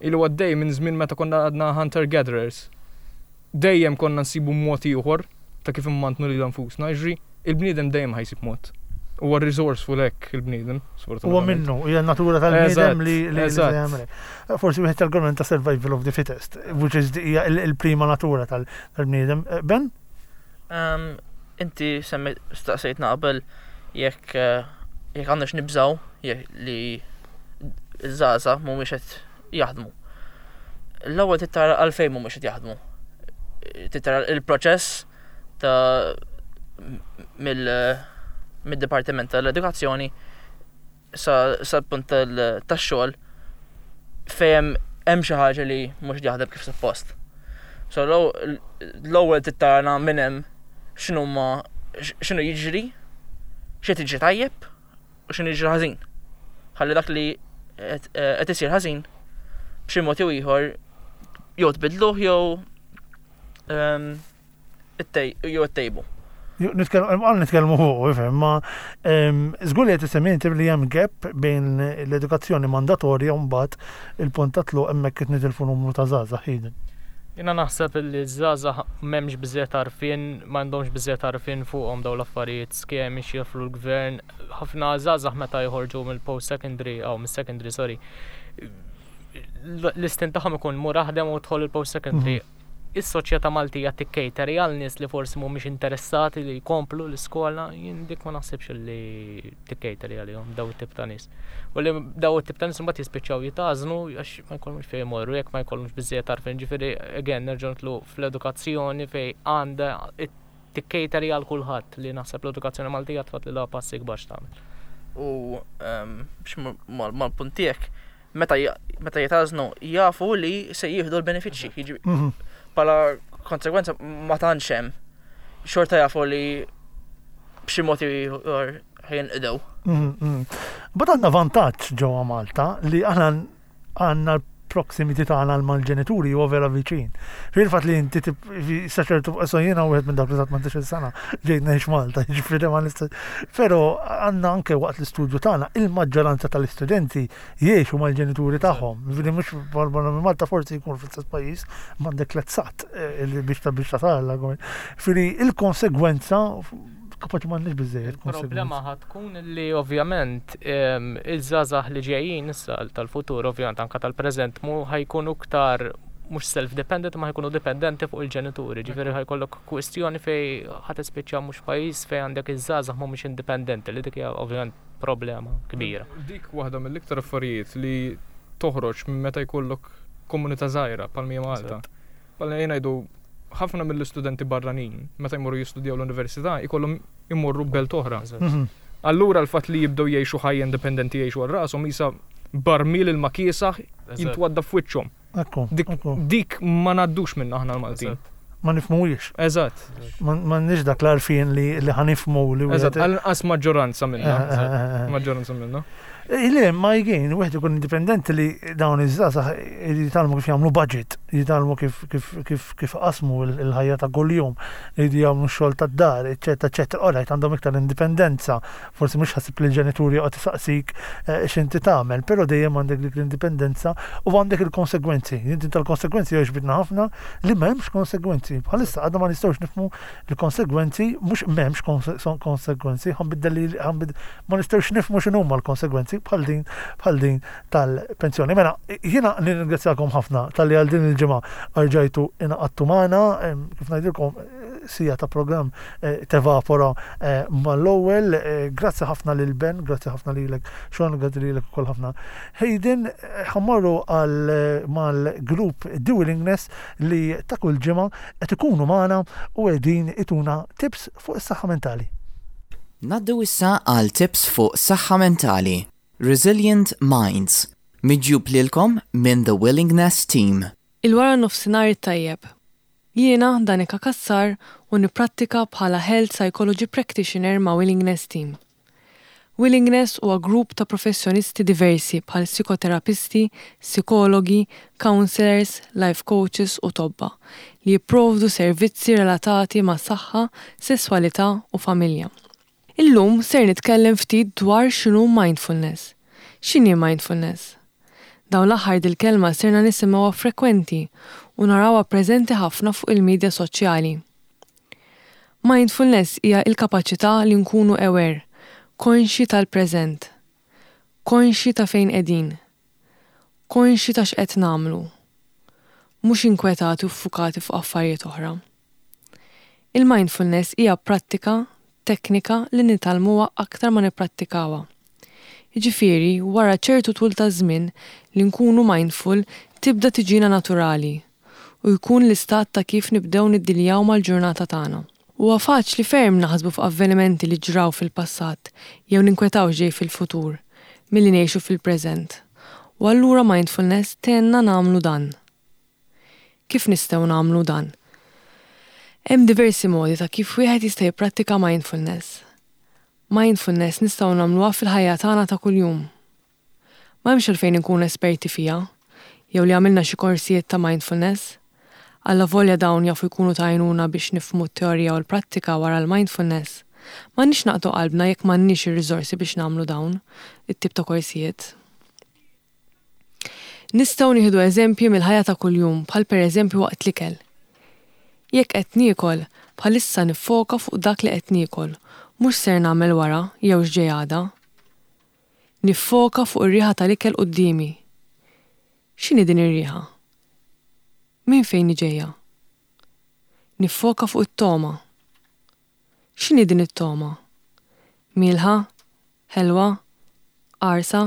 Ilu għaddej minn żmien meta konna għadna hunter-gatherers. Dejjem konna nsibu mod ieħor ta' kif immantnu lil nfusna, ġri il-bniedem dejjem ħa jsib mod. Huwa resourceful hekk il-bniedem, Huwa sfortunatament. minnu, hija natura tal-bniedem li li li Eżatt. jagħmel. Forsi wieħed tal-argument ta' survival of the fittest, which is hija il- il-prima natura tal- tal-bniedem. Eh, Ben? Um, inti semmi staqsejtna qabel jekk eh, jekk għandna nibżaw jekk li iż-żgħażagħ mhumiex qed jaħdmu. L-ewwel tittara għalfejn mhumiex qed jaħdmu. Tittara il-proċess ta' mill mid-Dipartiment tal-Edukazzjoni sa sa punt tal- tax-xogħol fejn hemm xi ħaġa li mhux jaħdem kif suppost. So l-ewwel tittara minn hemm x'inhu ma x'inhu jiġri, x'qed jiġri tajjeb u x'inhu jiġri ħażin. Ħalli dak li qed qed isir ħażin b'xi mod jew ieħor jew tbidluh jew ehm, ittej- jew ittejbu. Nitkellmu għal nitkellmu fuq, ifhem, ma em, żgur li qed isemmi inti li hemm gap bejn l-edukazzjoni mandatorja u mbagħad il-punt ta' tluq hemmhekk qed nitilfu numru ta' żgħażagħ ħidin. Jiena naħseb li ż-żgħażagħ m'hemmx biżejjed għarfien, m'għandhomx biżejjed għarfien fuqhom dawn l-affarijiet, skemi x'joffru l-gvern. Ħafna żgħażagħ meta joħorġu mill-post secondary, aw mis-secondary, sorry. L-istint tagħhom ikun mur aħdem u dħol il-post secondary. Is-soċjetà Maltija tikkejteri għal nies li forsi mhumiex interessati li jkomplu l-iskola, jien dik ma naħsibx li tikkejteri għalihom daw it-tip ta' nies. U li daw it-tip ta' nies imbagħad jispiċċaw jitgħażnu għax ma jkollhomx fejn jmorru, jekk ma jkollhomx biżejjed għarfien. Ġifieri again nerġgħu nitlu fl-edukazzjoni fejn għandha tikkejteri għal kulħadd li naħseb l-edukazzjoni Maltija tfadlilha passi kbar x'tagħmel. U ehm, biex mal- mal-punt tiegħek, meta ja- meta jitgħażnu jafu li se jieħdu l-benefiċċji. Jiġi Mhm. bħala konsegwenza ma tantx hemm. Xorta jafu li b'xi mod jew ieħor ħa jinqdew. Mhm, mhm. But għandna vantaġġ ġewwa Malta li aħna għandna l-proximity tagħna mal-ġenituri huwa vera viċin. Fil-fatt li inti tib- fi- sa ċertu so jiena wieħed minn dawk li ta' tmintax-il sena ġejt ngħix Malta, jiġifieri ma nista' Però għandna anke waqt l-istudju tagħna il-maġġoranza tal-istudenti jgħixu mal-ġenituri tagħhom. Jiġifieri mhux barra minn Malta forsi jkun fl-istess pajjiż m'għandek tliet sigħat eh, li biex ta' biex tasal. Jiġifieri il-konsegwenza kapaċi m'għandniex biżejjed Il-problema ħa tkun li ovvjament em, iż-żgħażagħ li ġejjin issa tal-futur ovvjament anka tal-preżent mu ħa jkunu iktar mhux self-dependent ma ħa jkunu dipendenti fuq il-ġenituri. Ġifieri ħa jkollok kwistjoni fej ħa tispiċċa mhux pajjiż fej għandek iż-żgħażagħ mhumiex indipendenti li dik hija ovvjament problema kbira. Dik waħda mill-iktar affarijiet li toħroġ minn meta jkollok komunità żgħira bħal mija Malta. Bħal ngħidu ħafna mill-istudenti barranin meta jmorru jistudjaw l-università ikollhom imorru belt oħra. Mhm. Allura l-fatt li jibdew jgħixu ħajja indipendenti jgħixu għal rashom isa barmil ilma kiesaħ jintwadda f'wiċċhom. Ekku, Dik, ekku. dik ma ngħaddux minna aħna l-Maltin. Ma nifhmuhiex. Eżatt, M'għandniex dak l-għarfien li li ħa nifhmu li eżatt, wieħed- għal-inqas maġġoranza minna. Eh, eh, eh, eh. Maġġoranza minna. Eh, Le, ma jgħin, wieħed ikun indipendenti li dawn iż-żgħażagħ jitgħallmu kif jagħmlu budget, jitgħallmu kif kif kif kif qasmu il- il-ħajja ta' kuljum, jridu jagħmlu x-xogħol tad-dar, eċetera, eċetera. Alright, għandhom iktar indipendenza, forsi mhux ħasib li l-ġenituri joqgħod isaqsik eh, x'inti tagħmel, però dejjem għandek dik l-indipendenza u għandek il-konsegwenzi. Inti tal-konsegwenzi jogħġbitna ħafna li m'hemmx konsegwenzi. Bħalissa għadna ma nistgħux nifhmu l-konsegwenzi, mhux m'hemmx konse- son- konsegwenzi, ħa nbiddel li ħa nbiddel ma nistgħux nifhmu x'inhuma l-konsegwenzi bħal din bħal din tal-pensjoni. Mela, jiena nirringrazzjakom ħafna talli għal din il-ġimgħa rġajtu ingħaqadtu magħna, em, kif ngħidilkom eh, siegħa ta' programm eh, tevapora eh, mal-ewwel. Eh, Grazzi ħafna lil Ben, grazzi ħafna lilek Sean, grazzi lilek ukoll ħafna. Hayden, eh, ħa mmorru għal eh, mal-grupp The Willingness li ta' kull ġimgħa qed ikunu magħna u qegħdin ituna tips fuq is-saħħa mentali. Ngħaddu issa għal tips fuq saħħa mentali. Resilient Minds. Miġjub lilkom minn The Willingness Team. Il-wara nofsinhar tajjeb. Jiena Danika Kassar u niprattika bħala Health Psychology Practitioner ma' Willingness Team. Willingness huwa grupp ta' professjonisti diversi bħal psikoterapisti, psikologi, counselors, life coaches u tobba li jipprovdu servizzi relatati ma' saħħa, sesswalità u familja. Illum ser nitkellem ftit dwar x'inhu mindfulness. X'inhi mindfulness? Dawn l-aħħar dil-kelma sirna nisimgħuha frekwenti u narawha preżenti ħafna fuq il-medja soċjali. Mindfulness hija l-kapaċità li nkunu aware, konxji tal-preżent, konxji ta' fejn qegħdin, konxji ta' x'qed nagħmlu, mhux inkwetati u ffukati fuq affarijiet oħra. Il-mindfulness hija prattika, teknika li nitgħallmuha aktar ma nipprattikawha. Jiġifieri, wara ċertu tul ta' żmien li nkunu mindful tibda tiġina naturali u jkun l-istat ta' kif nibdew niddiljaw mal-ġurnata tagħna. Huwa faċli ferm naħsbu fuq avvenimenti li ġraw fil-passat jew ninkwetaw x'ġej fil-futur milli ngħixu fil-preżent. U allura mindfulness tgħinna nagħmlu dan. Kif nistgħu nagħmlu dan? Hemm diversi modi ta' kif wieħed jista' jipprattika mindfulness. Mindfulness nistgħu nagħmluha fil-ħajja tagħna ta' kuljum. Ma hemmx għalfejn inkunu esperti fiha, jew li għamilna xi korsijiet ta' mindfulness. Allavolja dawn jafu jkunu ta' għajnuna biex nifhmu t-teorija u l-prattika wara l-mindfulness. M'għandniex naqtgħu qalbna jekk m'għandniex ir-riżorsi biex nagħmlu dawn it-tip ta' korsijiet. Nistgħu nieħdu eżempji mill-ħajja ta' kuljum, bħal pereżempju waqt l-ikel. Jekk qed niekol, bħalissa niffoka fuq dak li qed niekol, mhux ser nagħmel wara jew x'ġej għada. Niffoka fuq ir-riħa tal-ikel quddiemi. X'inhi din ir-riħa? Min fejn ġejja? Niffoka fuq it-togħma. X'inhi din it-togħma? Mielħa? Ħelwa? Qarsa?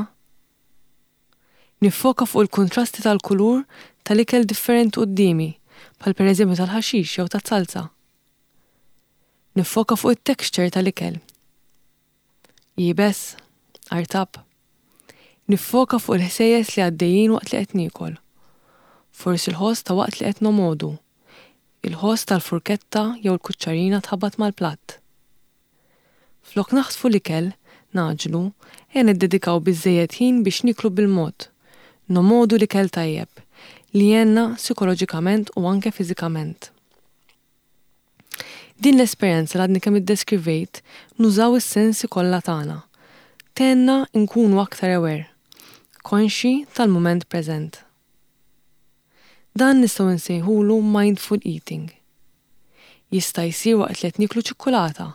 Niffoka fuq il-kontrasti tal-kulur tal-ikel differenti quddiemi, bħal pereżempju tal-ħaxix jew tas-salsa. Niffoka fuq it-texture tal-ikel. Iebes, artab. Niffoka fuq il-ħsejjes li għaddejjin waqt li qed niekol. Forsi l-ħoss ta' waqt li qed nomogħdu. Il-ħoss tal-furketta jew l-kuċċarina tħabbat mal-platt. Flok naħtfu l-ikel, ngħaġġlu, ejja niddedikaw biżżejjed ħin biex nieklu bil-mod. Nomogħdu l-ikel tajjeb, li jgħinna psikoloġikament u anke fiżikament. Din l-esperjenza li għadni kemm iddeskrivejt nużaw is-sensi kollha tagħna. Tgħinna nkunu aktar aware, konxji tal-mument preżent. Dan nistgħu nsejħulu mindful eating. Jista' jsir waqt li qed nieklu ċikkulata,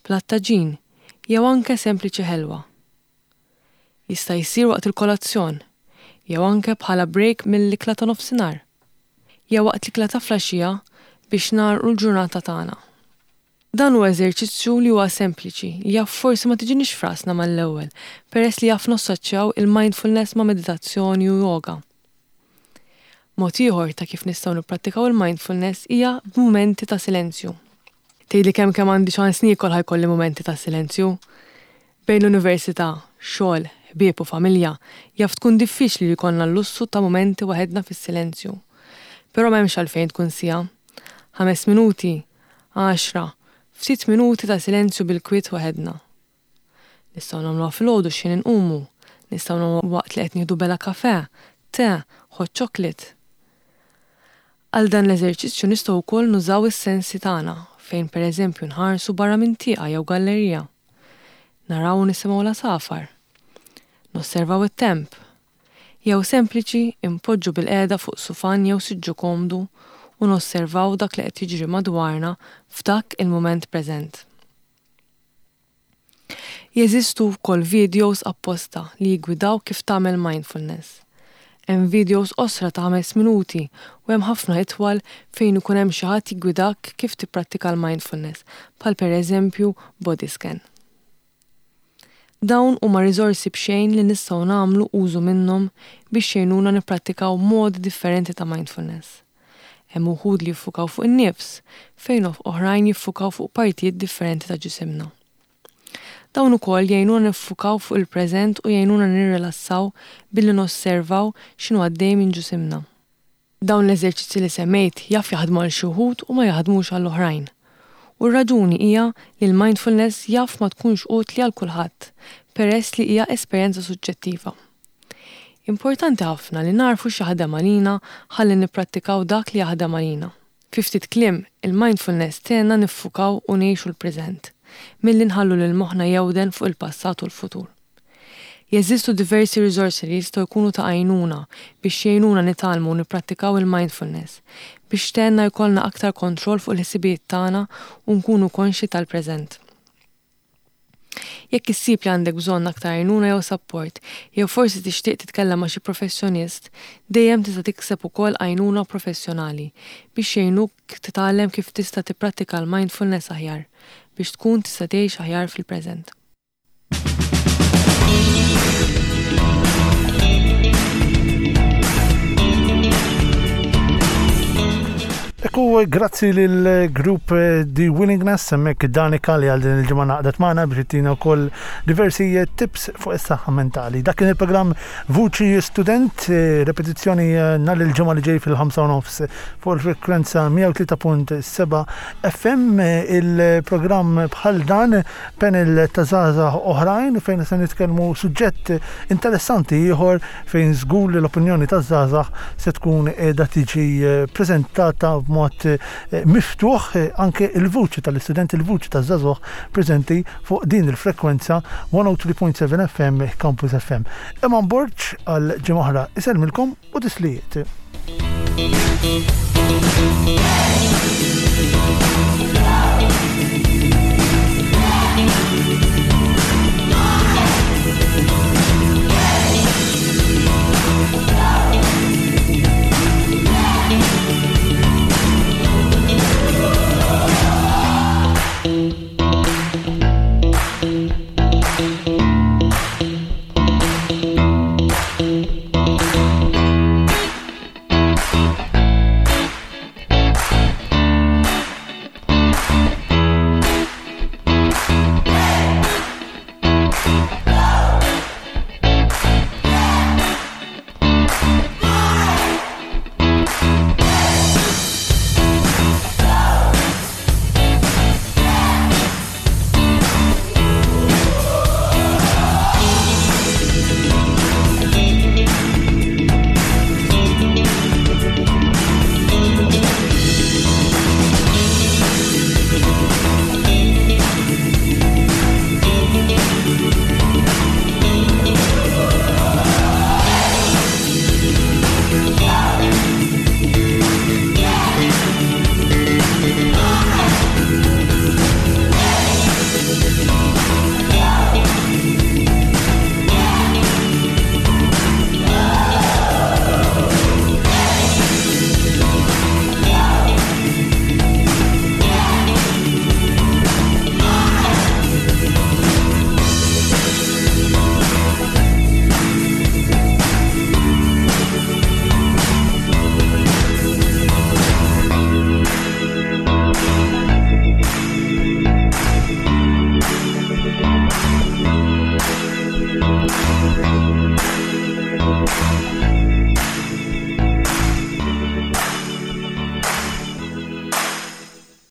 platt taġin jew anke sempliċi ħelwa. Jista' jsir waqt il-kolazzjon, jew anke bħala break mill-ikla ta' nofsinhar, jew waqt l-ikla ta' filgħaxija biex nagħlqu l-ġurnata tagħna. Dan huwa eżerċizzju li huwa sempliċi, li jaf forsi ma tiġinix f'rasna mal-ewwel, peress li jaf nassoċjaw il-mindfulness ma' meditazzjoni u yoga. Mod ieħor ta' kif nistgħu nipprattikaw il-mindfulness hija b'mumenti ta' silenzju. Tgħidli kemm kemm għandi ċans niekol ħa jkolli mumenti ta' silenzju. Bejn l-università, xogħol, ħbieb u familja, jaf tkun diffiċli li jkollna l-lussu ta' mumenti waħedna fis-silenzju. Però m'hemmx għalfejn tkun siegħa. Ħames minuti, għaxra, ftit minuti ta' silenzju bil-kwiet waħedna. Nistgħu nagħmluha filgħodu x'ħin inqumu, nistgħu nagħmluha waqt li qed nieħdu bela kafè, te, hot chocolate. Għal dan l-eżerċizzju nistgħu wkoll nużaw is-sensi tagħna fejn pereżempju nħarsu barra minn tieqa jew gallerija. Naraw u nisimgħu l-għasafar. Nosservaw it-temp. Jew sempliċi impoġġu bilqiegħda fuq sufan jew siġġu komdu u nosservaw dak li qed jiġri madwarna f'dak il-mument preżent. Jeżistu wkoll videos apposta li jiggwidaw kif tagħmel mindfulness. Hemm videos qosra ta' ħames minuti u hemm ħafna itwal fejn ikun hemm xi ħadd jiggwidak kif tipprattika l-mindfulness, bħal pereżempju body scan. Dawn huma riżorsi b'xejn li nistgħu nagħmlu użu minnhom biex jgħinuna nipprattikaw modi differenti ta' mindfulness. Hemm uħud li jiffukaw fuq in-nifs, fejn oħrajn jiffukaw fuq partijiet differenti ta' ġisimna. Dawn ukoll jgħinuna niffukaw fuq il-preżent u jgħinuna nirrilassaw billi nosservaw x'inhu għaddej minn ġisimna. Dawn l-eżerċizzi li semmejt jaf jaħdmu għal xi wħud u ma jaħdmux għall oħrajn. U r-raġuni hija li l-mindfulness jaf ma tkunx utli għal kulħadd, peress li hija esperjenza suġġettiva. Importanti ħafna li narfu x'jaħdem għalina ħalli nipprattikaw dak li jaħdem għalina. Fi ftit kliem, il-mindfulness tgħinna niffukaw u ngħixu l-preżent, milli nħallu lil moħħna jewden fuq il-passat u l-futur. Jeżistu diversi riżorsi li jistgħu jkunu ta' għajnuna biex jgħinuna nitgħallmu u nipprattikaw il-mindfulness biex tgħinna jkollna aktar kontroll fuq il-ħsibijiet tagħna u nkunu konxi tal-preżent. Jekk issib li għandek bżonn aktar għajnuna jew support, jew forsi tixtieq titkellem ma' xi professjonist, dejjem tista' tikseb ukoll għajnuna professjonali biex jgħinuk titgħallem kif tista' tipprattika l-mindfulness aħjar biex tkun tista' tgħix aħjar fil-preżent. Ekku, grazzi lil grupp The Willingness, hemmhekk Danika li għal din il-ġimgħa ngħaqdet magħna biex ittina wkoll diversi tips fuq is-saħħa mentali. Dak kien il-programm Vuċi Student, eh, repetizzjoni eh, nhar il-ġimgħa li ġej fil-ħamsa u nofs fuq il-frekwenza mija u tlieta punt seba' F M. Il-programm bħal dan, panel ta' żgħażagħ oħrajn fejn se nitkellmu suġġett interessanti ieħor fejn żgur li l-opinjoni taż-żgħażagħ se tkun qiegħda tiġi eh, preżentata b'mod eh, miftuħ, eh, anke il-vuċi tal-istudenti, il-vuċi taż-żagħżugħ preżenti fuq din il-frekwenza mija u tlieta punt seba' F M, Campus F M. Eman Borg għal ġimgħa oħra isellmilkom u tislijiet. Hey!